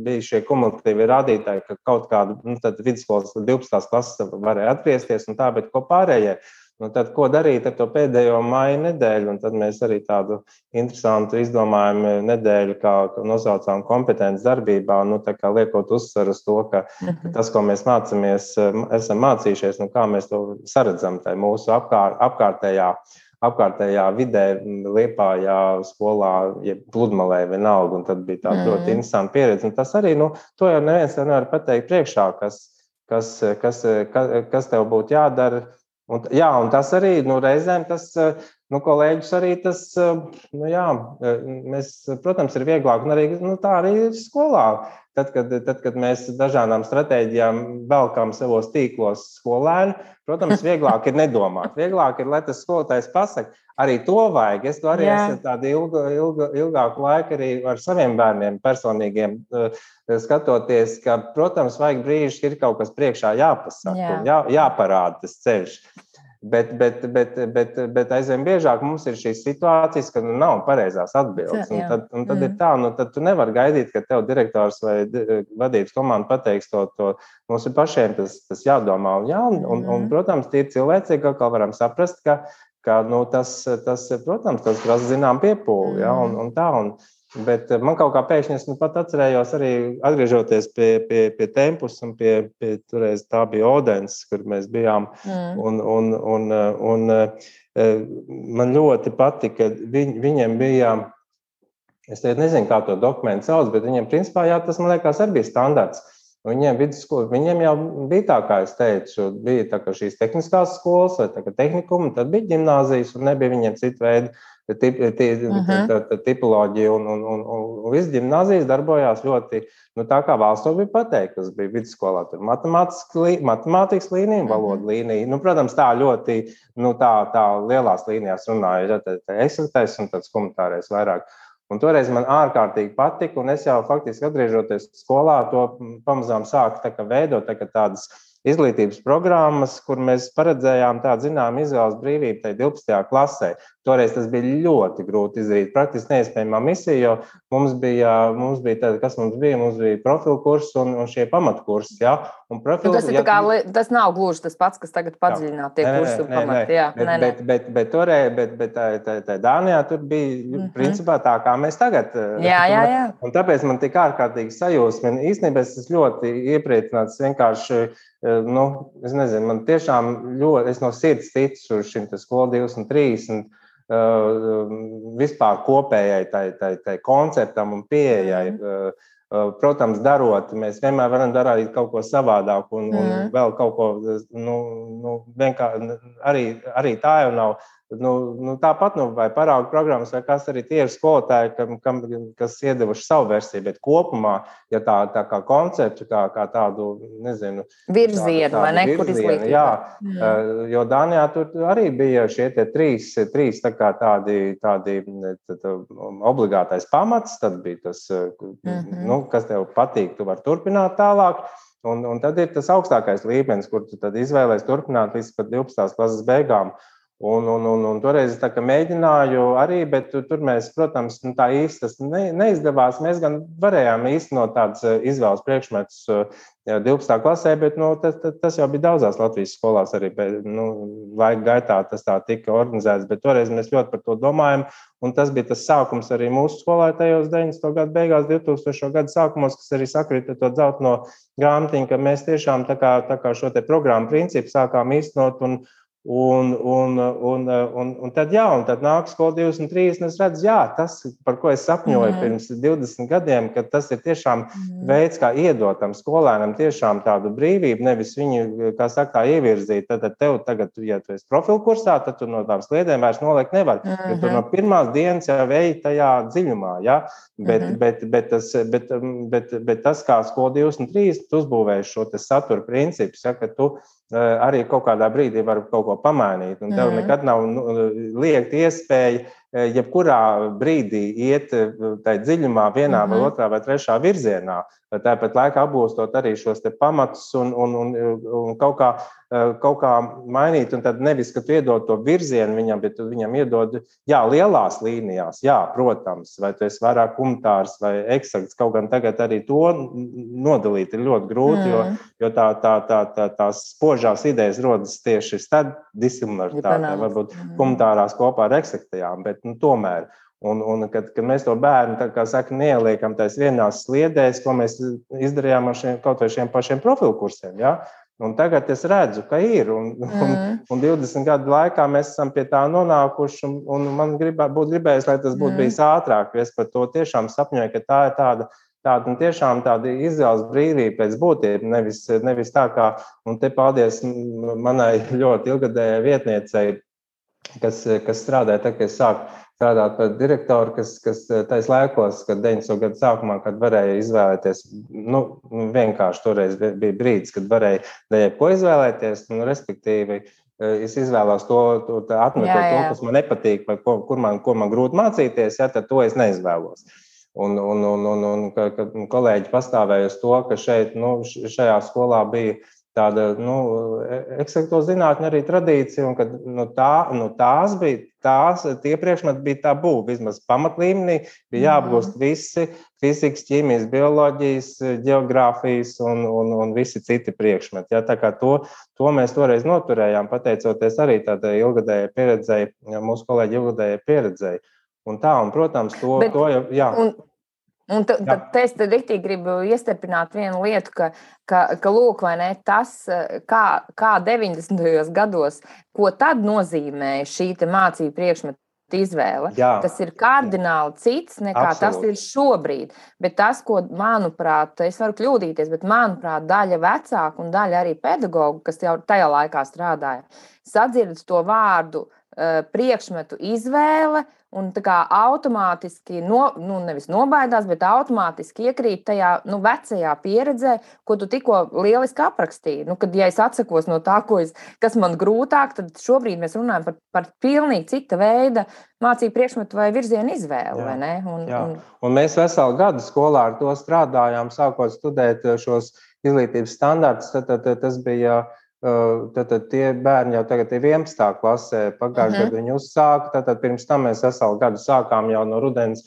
bija šie kumulatīvi rādītāji, ka kaut kādu, nu, tad vidusskolas divpadsmitās klases varēja atgriezties un tā, bet ko pārējie. Nu, tad, ko darīt ar to pēdējo maija nedēļu, un tad mēs arī tādu interesantu izdomājumu nedēļu, kā nosaucām kompetences darbībā, nu, tā kā liekot uzsvaru uz to, ka, ka tas, ko mēs mācāmies, esam mācījušies, nu, kā mēs to saredzam tai mūsu apkār, apkārtējā, apkārtējā vidē, Liepājā, skolā, ja Pludmalē vienalga, un tad bija tāda mm. ļoti interesanta pieredze. Un tas arī, nu, to jau neviens nevar pateikt priekšā, kas, kas, kas, kas, kas tev būtu jādara. Un, jā, un tas arī, nu, reizēm tas, nu, kolēģis arī tas, nu, jā, mēs, protams, ir vieglāk, un arī, nu, tā arī ir skolā. Tad, kad, tad, kad mēs dažādām stratēģijām velkam savos tīklos skolēnu, protams, vieglāk ir nedomāt. Vieglāk ir, lai tas skolotājs pasaka, arī to vajag. Es to arī yeah. esmu tādu ilgu, ilgu, ilgāku laiku arī ar saviem bērniem personīgiem skatoties, ka, protams, vajag brīžus, ka ir kaut kas priekšā jāpasaka, yeah. jā, jāparāda tas ceļš. Bet, bet, bet, bet, bet aizvien biežāk mums ir šīs situācijas, kad nu, nav pareizās atbildes. Un tad, un tad mm. ir tā, nu, tad tu nevari gaidīt, ka tev direktors vai vadības komanda pateiks to, to. Mums ir pašiem tas, tas jādomā. Un, jā, un, mm. un, un, protams, tie cilvēcīgi atkal varam saprast, ka, ka nu, tas, tas, protams, tas prasa zinām piepūli. Mm. Jā, un, un tā, un, bet man kaut kā pēkšņi es nu pat atcerējos arī atgriežoties pie, pie, pie Tempus un pie, pie toreiz tā bija Odens, kur mēs bijām. Mm. Un, un, un, un, un man ļoti patika, viņ, viņiem bija, es nezinu, kā to dokumentu sauc, bet viņiem principā, jā, tas man liekas arī bija standarts. Viņiem, vidusskola, viņiem jau bija tā, kā es teicu, bija tā, ka šīs tehniskās skolas vai tā, ka tehnikumi, tad bija ģimnāzijas un nebija viņiem citu veidu tip, tip, Mhm. tipoloģija un, un, un, un viss ģimnāzijas darbojās ļoti, nu tā kā valsts to bija pateikt, kas bija vidusskolā, tur matemātikas līnija, valoda līnija, nu, protams, tā ļoti, nu, tā, tā lielās līnijās runāja, ja, tā, tā eksaktēs un tāds komentārais vairāk. Un toreiz man ārkārtīgi patika, un es jau faktiski atgriežoties skolā, to pamazām sāku tā kā veidot, tā kā tādas izglītības programmas, kur mēs paredzējām tādu zinām izvēles brīvību tai divpadsmitajā klasē. Toreiz tas bija ļoti grūti izdarīt, praktiski neiespējamā misija, jo mums bija, mums bija tāda, kas mums bija, mums bija profilu kurs un, un šie pamatkursi, jā. Un profilu, nu, tas, ir ja, kā, tas nav gluži tas pats, kas tagad padziļināt tie kursi un pamati, jā. Bet, nē, nē. bet, bet, bet toreiz, bet, bet tā, tā, tā Dānijā tur bija, mm-hmm. principā tā, kā mēs tagad. Jā, jā, jā. Un tāpēc man tik ārkārtīgi sajūsmina. Īstenībā es esmu ļoti iepriecināts vienkārši, nu, es nezinu, man tiešām ļoti, es no sirds ticu šim te skolu divus un trīs un uh, vispār kopējai tai, tai, tai konceptam un pieejai. Mm. Uh, protams, darot, mēs vienmēr varam darīt kaut ko savādāku un, un mm. vēl kaut ko, nu, nu vienkārši arī, arī tā jau nav. Nu, nu, tāpat, nu, vai paraugu programmas, vai kas arī tie ir skolotāji, kam, kam, kas iedevuši savu versiju, bet kopumā, ja tā, tā kā konceptu, kā, kā tādu, nezinu, virzienu, tādu, tādu vai ne, kur izglītība. Jā, mm. jo Dānijā tur arī bija šie tie trīs, trīs tā kā tādi, tādi tā, obligātais pamats, tad bija tas, mm-hmm. nu, kas tev patīk, tu vari turpināt tālāk. Un, un tad ir tas augstākais līmenis, kur tu tad izvēlēs turpināt līdz pat divpadsmitās klases beigām. Un, un, un, un toreiz es tā kā mēģināju arī, bet tur mēs, protams, nu, tā īsti tas ne, neizdevās. Mēs gan varējām īstenot tādas izvēles priekšmetus divpadsmitā klasē, bet nu, tas, tas jau bija daudzās Latvijas skolās arī. Nu, laika gaitā tas tā tika organizēts, bet toreiz mēs ļoti par to domājam. Un tas bija tas sākums arī mūsu skolā tajos deviņdesmito gadu beigās, divtūkstošo gadu sākumos, kas arī sakrita to dzelteno grāmatiņu, ka mēs tiešām tā kā, tā kā šo te programmu principu sākām īstenot un Un, un, un, un, un tad, jā, un tad nāk skola divus un trīs, un es redzu, jā, tas, par ko es sapņoju mm. pirms divdesmit gadiem, ka tas ir tiešām mm. veids, kā iedot tam skolēnam tiešām tādu brīvību, nevis viņu, kā saka, ievirzīt. Tad, tad tev tagad, ja tu esi profilu kursā, tad tu no tām sliedēm vairs noliekt nevar, mm-hmm. jo tu no pirmās dienas jau eji tajā dziļumā, jā, bet, mm-hmm. bet, bet, tas, bet, bet, bet tas, kā skola divus un trīs, tu uzbūvēji šo te satura principus, ja, ka tu arī kaut kādā brīdī var kaut ko pamainīt. Un tev mm. nekad nav nu, liekta iespēja jebkurā brīdī iet tai dziļumā vienā mm-hmm. vai otrā vai trešā virzienā. Tāpat laikā apgūstot arī šos te pamatus un, un, un, un kaut, kā, kaut kā mainīt. Un tad nevis, ka tu iedod to virzienu viņam, bet tu viņam iedod, jā, lielās līnijās, jā, protams, vai tu esi vairāk komentārs vai eksakts. Kaut gan tagad arī to nodalīt ir ļoti grūti, mm. jo, jo tā, tā, tā, tā, tās spožās idejas rodas tieši tad disimilaritātē, varbūt mm. komentārās kopā ar eksaktajām, bet nu, tomēr. Un, un kad, kad mēs to bērnu, tā kā saka, neieliekam tais vienās sliedēs, ko mēs izdarījām ar šiem, kaut vai šiem pašiem profilu kursiem, ja? Un tagad es redzu, ka ir, un, mm. un, un divdesmit gadu laikā mēs esam pie tā nonākuši, un, un man gribā, būtu gribējis, lai tas būtu mm. bijis ātrāk, jo es par to tiešām sapņoju, ka tā ir tāda, tāda un tiešām tāda izvēles brīvība pēc būtība, nevis, nevis tā kā, un te paldies manai ļoti ilgadējai vietniecei, kas, kas strādāja, tā kā es sāku strādāt par direktoru, kas, kas tais laikos, kad deviņdesmito gadu sākumā, kad varēja izvēlēties, nu, vienkārši toreiz bija brīdis, kad varēja ko izvēlēties, nu, respektīvi, es izvēlos to, to atmetot to, kas man nepatīk, vai ko, kur man, ko man grūti mācīties, ja, tad to es neizvēlos. Un, un, un, un, un kad kolēģi pastāvēja uz to, ka šeit, nu, šajā skolā bija tāda, nu, eksakto zinātņu arī tradīcija, un kad nu, tā, nu, tās bija, tās, tie priekšmeti bija tabū, vismaz pamatlīmenī bija jāapgūst visi fizikas, ķīmijas, bioloģijas, ģeogrāfijas un, un, un visi citi priekšmeti. Ja, tā kā to, to mēs toreiz noturējām, pateicoties arī tādai ilgadējai pieredzei, mūsu kolēģi ilgadējai pieredzei. Un tā, un, protams, to, Bet, to jau, jā. Un... Un tad t- es tad riktīgi gribu iestiprināt vienu lietu, ka, ka, ka lūk, vai ne, tas, kā, kā deviņdesmitajos gados, ko tad nozīmēja šī te mācību priekšmetu izvēle, jā. Tas ir kardināli cits nekā Absolut. Tas ir šobrīd. Bet tas, ko, manuprāt, es varu kļūdīties, bet manuprāt, daļa vecāku un daļa arī pedagogu, kas jau tajā laikā strādāja, sadzird to vārdu priekšmetu izvēle un tā kā automātiski, no, nu nevis nobaidās, bet automātiski iekrīt tajā nu, vecajā pieredzē, ko tu tikko lieliski aprakstīji. Nu, kad ja es atsakos no tā, ko es, kas man grūtāk, tad šobrīd mēs runājam par, par pilnīgi cita veida mācību priekšmetu vai virzienu izvēli, jā, vai ne? Un, jā. un... un mēs veselu gadu skolā ar to strādājām, sākot studēt šos izglītības standartus, tad, tad, tad tas bija Tad, tad tie bērni jau tagad ir vienpadsmitā klasē, pagājušajā uh-huh. gadā viņi uzsāka, tad, tad pirms tam mēs veselu gadu sākām jau no rudens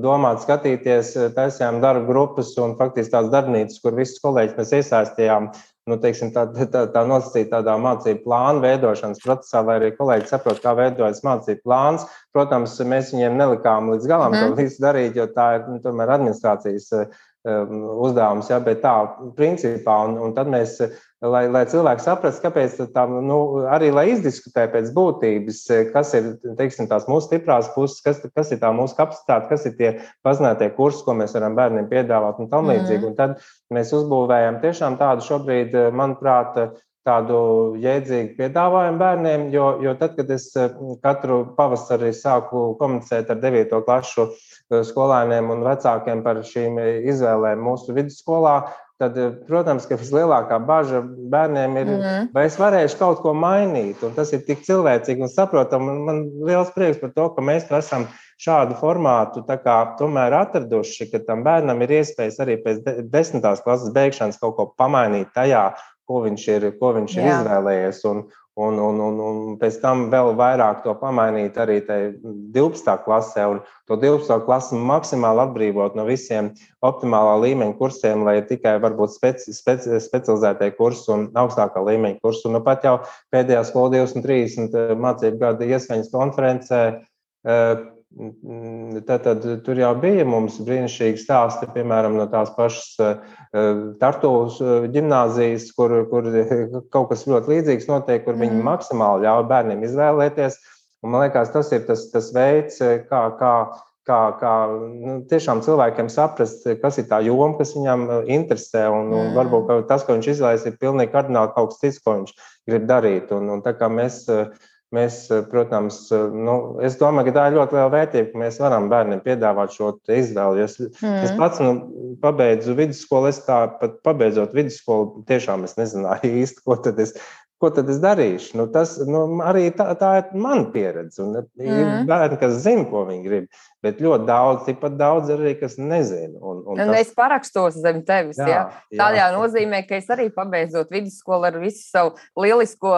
domāt, skatīties, taisījām darba grupas un faktiski tās darbnīcas, kur visus kolēģis mēs iesaistījām, nu, teiksim, tā, tā, tā nosacīt tādā mācību plānu veidošanas procesā, lai arī kolēģi saprot, kā veidojas mācību plāns. Protams, mēs viņiem nelikām līdz galam uh-huh. to visu darīt, jo tā ir, nu, tomēr administrācijas uzdevums, jā, bet tā principā, un, un tad mēs, lai, lai cilvēki saprast, kāpēc tā, nu, arī lai izdiskutē pēc būtības, kas ir, teiksim, tās mūsu stiprās puses, kas, kas ir tā mūsu kapacitāte, kas ir tie pazinātie kursi, ko mēs varam bērniem piedāvāt un tam līdzīgi. Mm. Un tad mēs uzbūvējam tiešām tādu šobrīd, manuprāt, tādu jēdzīgu piedāvājumu bērniem, jo, jo tad, kad es katru pavasari sāku komunicēt ar devīto klašu skolēniem un vecākiem par šīm izvēlēm mūsu vidusskolā, tad, protams, ka vislielākā baža bērniem ir, mm. vai es varēšu kaut ko mainīt, un tas ir tik cilvēcīgi un saprotam, un man liels prieks par to, ka mēs esam šādu formātu tā kā tomēr atraduši, ka tam bērnam ir iespējas arī pēc desmitās klases beigšanas kaut ko pamainīt tajā, ko viņš ir, ko viņš ir izvēlējies, un, un, un, un, un pēc tam vēl vairāk to pamainīt arī tai divpadsmitā klasē, un to divpadsmitā klasi maksimāli atbrīvot no visiem optimālā līmeņa kursiem, lai tikai varbūt speci, speci, specializētie kursi un augstākā līmeņa kursi. Un nu pat jau pēdējā skola divdesmit trīsdesmit mācību gada ieskaņas konferencē, Tad, tad tur jau bija mums brīnišķīgi stāsti, piemēram, no tās pašas Tartuvas ģimnāzijas, kur, kur kaut kas ļoti līdzīgs notiek, kur viņi maksimāli ļauj bērniem izvēlēties. Un man liekas, tas ir tas, tas veids, kā, kā, kā, kā nu, tiešām cilvēkiem saprast, kas ir tā joma, kas viņam interesē. Un, un varbūt tas, ko viņš izvēlēs, ir pilnīgi kardināli kaut kas cits, ko viņš grib darīt. Un, un tā kā mēs... Mēs, protams, nu, es domāju, ka tā ir ļoti liela vērtība, ka mēs varam bērniem piedāvāt šo izvēli. Es, mm. es pats nu, pabeidzu vidusskolu, es tā pat pabeidzot vidusskolu, tiešām es nezināju īsti, ko tad es, ko tad es darīšu. Nu, tas nu, arī tā, tā ir mana pieredze. Un mm. ir bērni, kas zina, ko viņi grib, bet ļoti daudz, tikpat daudz arī, kas nezina. Un, un un tas... es parakstos zem tevis. Jā, jā. Tādā nozīmē, ka es arī pabeidzot vidusskolu ar visu savu lielisko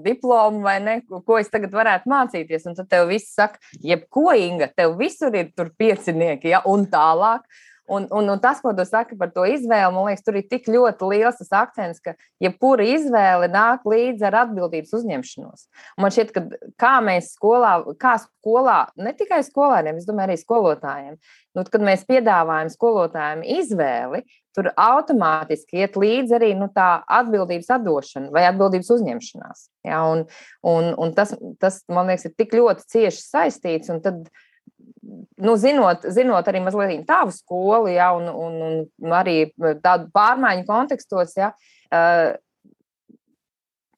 diplomu vai ne, ko es tagad varētu mācīties. Un tad tev viss saka, jebko, Inga, tev visur ir tur piecinieki, ja, un tālāk. Un, un, un tas, ko tu saki par to izvēli, man liekas, tur ir tik ļoti liels tas akcents, ka jebkura izvēle nāk līdzi ar atbildības uzņemšanos. Un man šķiet, ka kā mēs skolā, kā skolā, ne tikai skolēniem, es domāju arī skolotājiem, nu, kad mēs piedāvājam skolotājiem izvēli, tur automātiski iet līdzi arī nu, tā atbildības atdošana vai atbildības uzņemšanās. Ja? Un, un, un tas, tas, man liekas, ir tik ļoti cieši saistīts, un tad Nu, zinot, zinot arī mazliet tavu skolu, ja, un, un, un arī tādu pārmaiņu kontekstos, ja,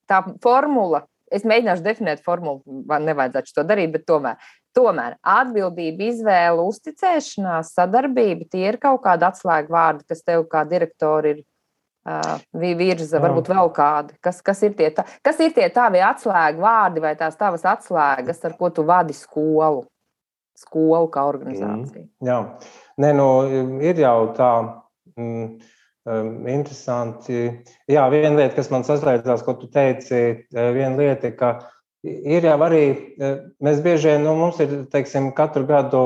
tā formula, es mēģināšu definēt formulu, nevajadzētu to darīt, bet tomēr, tomēr atbildība, izvēle, uzticēšanās, sadarbība, tie ir kaut kādi atslēgu vārdi, kas tev kā direktori ir uh, virza, varbūt vēl kādi. Kas, kas, ir tie, tā, kas ir tie tavi atslēgu vārdi vai tās tavas atslēgas, ar ko tu vadi skolu? Skolu kā organizācija. Mm, jā, Nē, nu, ir jau tā mm, interesanti. Jā, viena lieta, kas man saslēdzās, ko tu teici, viena lieta, ka ir jau arī, mēs bieži vien, nu, mums ir, teiksim, katru gadu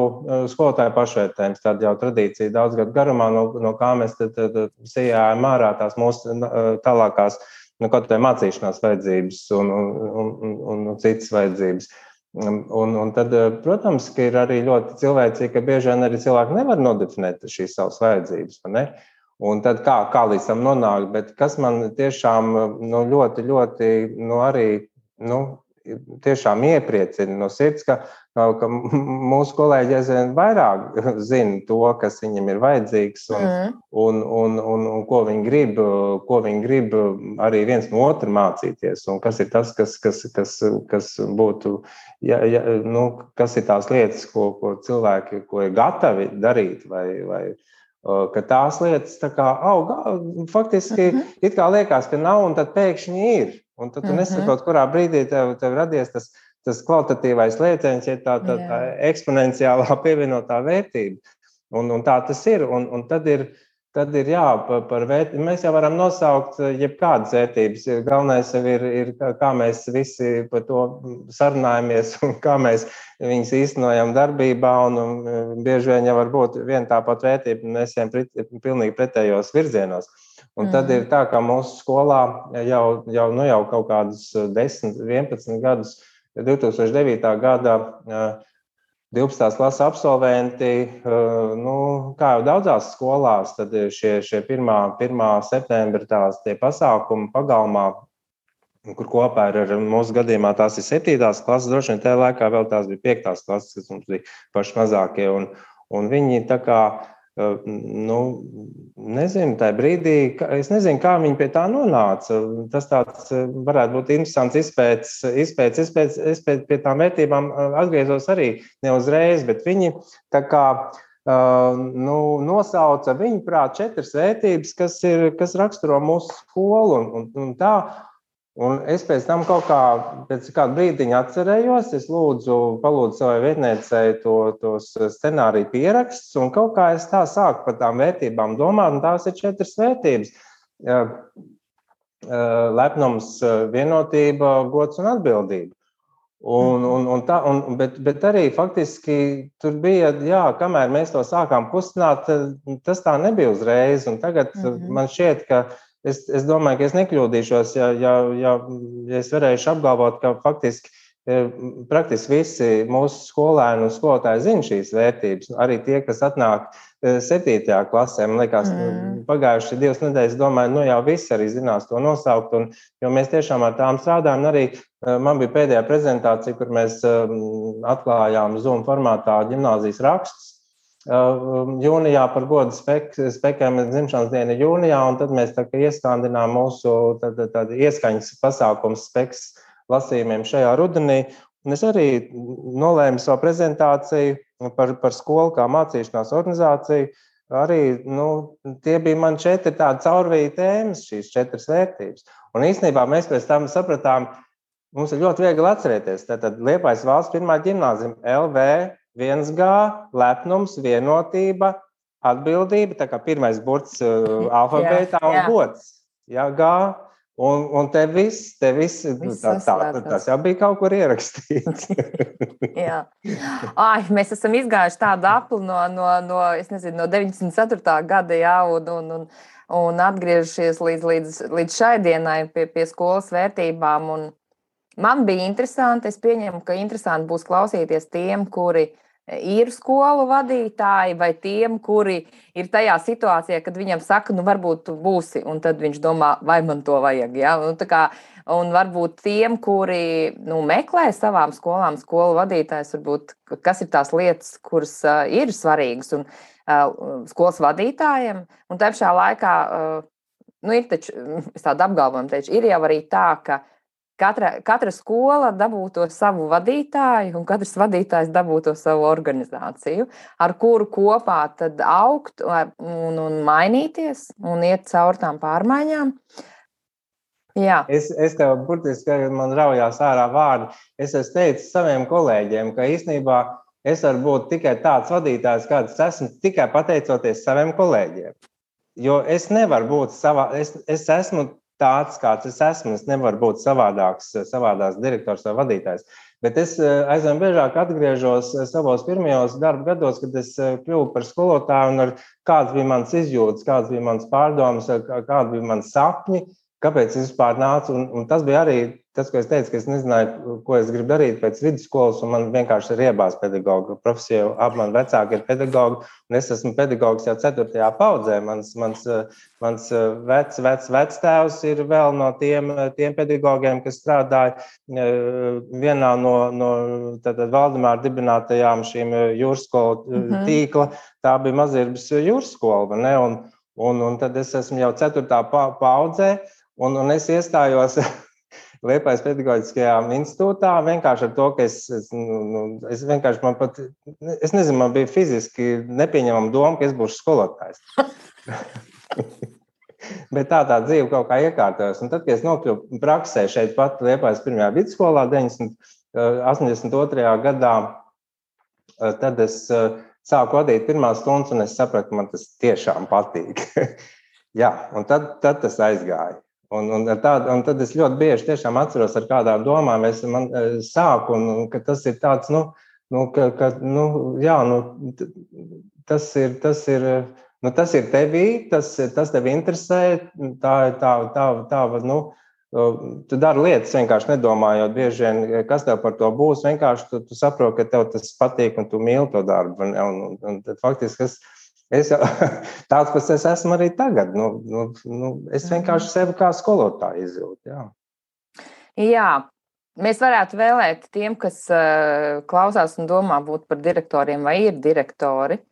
skolotāju pašvērtējums, tāda jau tradīcija daudz gadu garumā, no, no kā mēs tad, tad sijājam ārā tās mūsu tālākās, nu, kaut kā mācīšanās vajadzības un, un, un, un, un citas vajadzības. Un, un tad, protams, ka ir arī ļoti cilvēcīgi, ka bieži vien arī cilvēki nevar nodefinēt šīs savas vajadzības. Ne? Un tad kā, kā līdz tam nonākt, bet kas man tiešām nu, ļoti, ļoti nu, arī nu, tiešām iepriecina no sirds, ka, ka mūsu kolēģi aizvien vairāk zina to, kas viņam ir vajadzīgs un, mm. un, un, un, un ko viņi grib, ko viņi grib arī viens no otra mācīties. Un kas ir tas, kas, kas, kas, kas būtu, ja, ja, nu, kas ir tās lietas, ko, ko cilvēki ko ir gatavi darīt vai, vai ka tās lietas tā kā aug, faktiski mm-hmm. it kā liekas, ka nav, un tad pēkšņi ir. Un tad tu mm-hmm. nesaprot, kurā brīdī tev, tev radies tas, tas kvalitatīvais lieciens, ja tā, tā, tā eksponenciālā pievienotā vērtība. Un, un tā tas ir. Un, un tad ir, tad ir jā, par vērtību. Mēs jau varam nosaukt jebkādas vērtības. Galvenais jau ir, ir, kā mēs visi par to sarunājamies un kā mēs viņus īstenojam darbībā. Un, un bieži vien jau var būt viena tāpat vērtība, un mēs ejam pilnīgi pretējos virzienos. Un tad ir tā, ka mūsu skolā jau, jau, nu jau kaut kādus desmit, vienpadsmit gadus, divi tūkstoši devītā gada divpadsmitās klases absolventi, nu, kā jau daudzās skolās, tad šie, šie pirmā septembra tās tie pasākumi pagalmā, kur kopā ir ar mūsu gadījumā tās ir septītās klases, droši vien tajā laikā vēl tās bija piektās klases, kas mums bija paši mazākie, un, un viņi tā kā nu, nezinu, tajā brīdī, es nezinu, kā viņi pie tā nonāca. Tas tāds varētu būt interesants izpētes, izpētes, izpētes, izpētes pie tām vērtībām atgriezos arī ne uzreiz, bet viņi tā kā nu, nosauca viņu prāt četras vērtības, kas, ir, kas raksturo mūsu skolu un, un, un tā. Un es pēc tam kaut kā, pēc kāda brīdiņa atcerējos, es lūdzu, palūdzu savai vietniecei to, tos scenāriju pierakstus, un kaut kā es tā sāku par tām vērtībām domāt, un tās ir četras vērtības. Lepnums, vienotība, gods un atbildība. Un, un, un tā, un, bet, bet arī faktiski tur bija, jā, kamēr mēs to sākām kustināt, tas tā nebija uzreiz, un tagad mm-hmm. man šķiet, ka Es, es domāju, ka es nekļūdīšos, ja, ja, ja, ja es varēšu apgalvot, ka faktiski praktiski visi mūsu skolēni un skolotāji zina šīs vērtības. Arī tie, kas atnāk septītajā klasē, man liekas, mm. pagājuši divas nedēļas, domāju, nu jau visi arī zinās to nosaukt, un, jo mēs tiešām ar tām strādājam. Arī man bija pēdējā prezentācija, kur mēs atklājām Zoom formātā ģimnāzijas rakstus. Jūnijā par godu spek, spekiem dzimšanas diena jūnijā, un tad mēs tā kā ieskandinām mūsu tad, tad ieskaņas pasākums speks lasījumiem šajā rudenī. Un es arī nolēmu savu prezentāciju par, par skolu kā mācīšanās organizāciju. Arī, nu, tie bija man četri tādi caurvīja tēmas, šīs četras vērtības. Un īstenībā mēs pēc tam sapratām, mums ir ļoti viegli atcerēties. Tātad Liepājas valsts pirmā ģimnāzija L V viens G, lepnums, vienotība, atbildība, tā kā pirmais burts uh, alfabētā un gods. Jā, G. Un, un te viss, te viss, tā, tā, tas jau bija kaut kur ierakstīts. Jā. Ai, mēs esam izgājuši tādu apli no, no, no, es nezinu, no deviņdesmit ceturtā gada, jā, un, un, un, un atgriežušies līdz, līdz, līdz šai dienai pie, pie skolas vērtībām. Un man bija interesanti, es pieņemu, ka interesanti būs klausīties tiem, kuri ir skolu vadītāji, vai tiem, kuri ir tajā situācijā, kad viņam saka, nu varbūt tu būsi, un tad viņš domā, vai man to vajag. Ja? Un, tā kā, un varbūt tiem, kuri nu, meklē savām skolām skolu vadītājs, varbūt, kas ir tās lietas, kuras uh, ir svarīgas un uh, skolas vadītājiem. Un tā pašā laikā, uh, nu ir taču, es tādu apgalvojumu teicu, ir jau arī tā, ka Katra, katra skola dabūto savu vadītāju, un katrs vadītājs dabūto savu organizāciju, ar kuru kopā tad augt un, un mainīties un iet caur tām pārmaiņām. Jā. Es, es tev burtiski, kad man raujās ārā vārdi, es esmu teicis saviem kolēģiem, ka īstenībā es varu būt tikai tāds vadītājs, kāds esmu, tikai pateicoties saviem kolēģiem. Jo es nevaru būt savā, es, es esmu tāds, kāds es esmu, es nevaru būt savādāks, savādāks direktors vai vadītājs. Bet es aizvien biežāk atgriežos savos pirmajos darba gados, kad es kļuvu par skolotāju un ar kāds bija mans izjūtas, kāds bija mans pārdomas, kādi bija mans sapņi. kāpēc es vispār nācu. Un, un tas bija arī tas, ko es teicu, ka es nezināju, ko es gribu darīt pēc vidusskolas, un man vienkārši ir iebāz pedagoga profesija. Abi mani vecāki ir pedagogi, un es esmu pedagogs jau ceturtajā paudzē. Mans, mans, mans vec, vec, vectēvs ir vēl no tiem, tiem pedagogiem, kas strādāja vienā no, no tātad Valdemāra dibinātajām šīm jūrskolu mm-hmm. tīkla. Tā bija Mazirbas jūrskola, ne? Un, un, un tad es esmu jau ceturtā paudzē, un, un es iestājos Liepājas pedagoģiskajā institūtā vienkārši ar to, ka es, es, nu, es vienkārši man pat, es nezinu, man bija fiziski nepieņemama doma, ka es būšu skolotājs. Bet tā tā dzīve kaut kā iekārtojās. Un tad, kad es nokļuvu praksē šeit pat Liepājas pirmajā vidusskolā astoņdesmit otrajā gadā, tad es sāku vadīt pirmās stundas, un es sapratu, ka man tas tiešām patīk. Jā, un tad, tad tas aizgāja. Un, un, tād, un tad es ļoti bieži tiešām atceros, ar kādām domām es man, sāku, un, un ka tas ir tāds, nu, nu, ka, ka, nu jā, nu, tas ir, tas ir, nu, tas ir tevī, tas, tas tevi interesē, tā, tā, tā, tā, nu, tu dari lietas vienkārši nedomājot bieži vien, kas tev par to būs, vienkārši tu, tu saproti, ka tev tas patīk un tu mīli to darbu, un, un, un tad faktiski es Es jau, tāds, kas es esmu arī tagad. Nu, nu, nu, es vienkārši sevi kā skolotāju izjūtu. Jā. jā, mēs varētu vēlēt tiem, kas uh, klausās un domā būt par direktoriem vai ir direktori.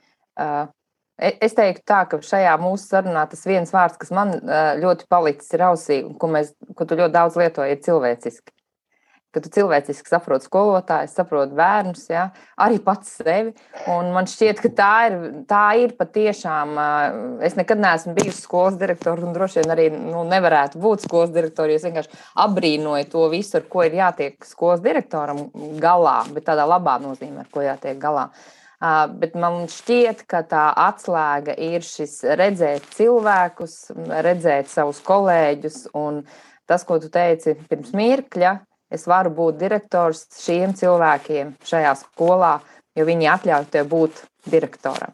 Uh, es teiktu tā, ka šajā mūsu sarunā tas viens vārds, kas man uh, ļoti palicis ir ausī, un ko, mēs, ko tu ļoti daudz lietoji, ir cilvēciski. Ka tu cilvēciski saproti skolotājus, saproti bērnus, ja? Arī pats sevi. Un man šķiet, ka tā ir, tā ir patiešām, es nekad neesmu bijusi skolas direktora un droši vien arī nu, nevarētu būt skolas direktora, jo es vienkārši abrīnoju to visu, ar ko ir jātiek skolas direktoram galā, bet tādā labā nozīmē, ar ko jātiek galā. Bet man šķiet, ka tā atslēga ir šis redzēt cilvēkus, redzēt savus kolēģus un tas, ko tu teici pirms mirkļa, es varu būt direktors šiem cilvēkiem šajā skolā, jo viņi atļauj tev būt direktoram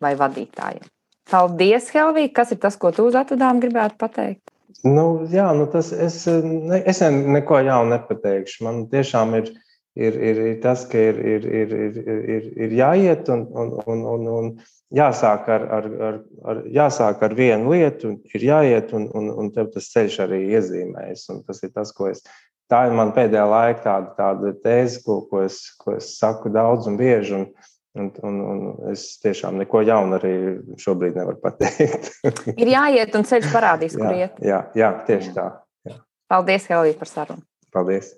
vai vadītājiem. Paldies, Helvija! Kas ir tas, ko tu uz atvadām gribētu pateikt? Nu, jā, nu tas es, ne, es neko jaunu nepateikšu. Man tiešām ir, ir, ir, ir tas, ka ir, ir, ir, ir, ir, ir jāiet un, un, un, un, un jāsāk ar, ar, ar, ar, jāsāk ar vienu lietu, ir jāiet un, un, un tev tas ceļš arī iezīmējas. Un tas ir tas, ko es Tā ir man pēdējā laika tāda, tāda tēze, ko, ko, es, ko es saku daudz un bieži, un, un, un, un es tiešām neko jaunu arī šobrīd nevaru pateikt. Ir jāiet un ceļš parādīs, kur jā, iet. Jā, jā, tieši tā. Jā. Paldies, Helvija, par sarunu. Paldies.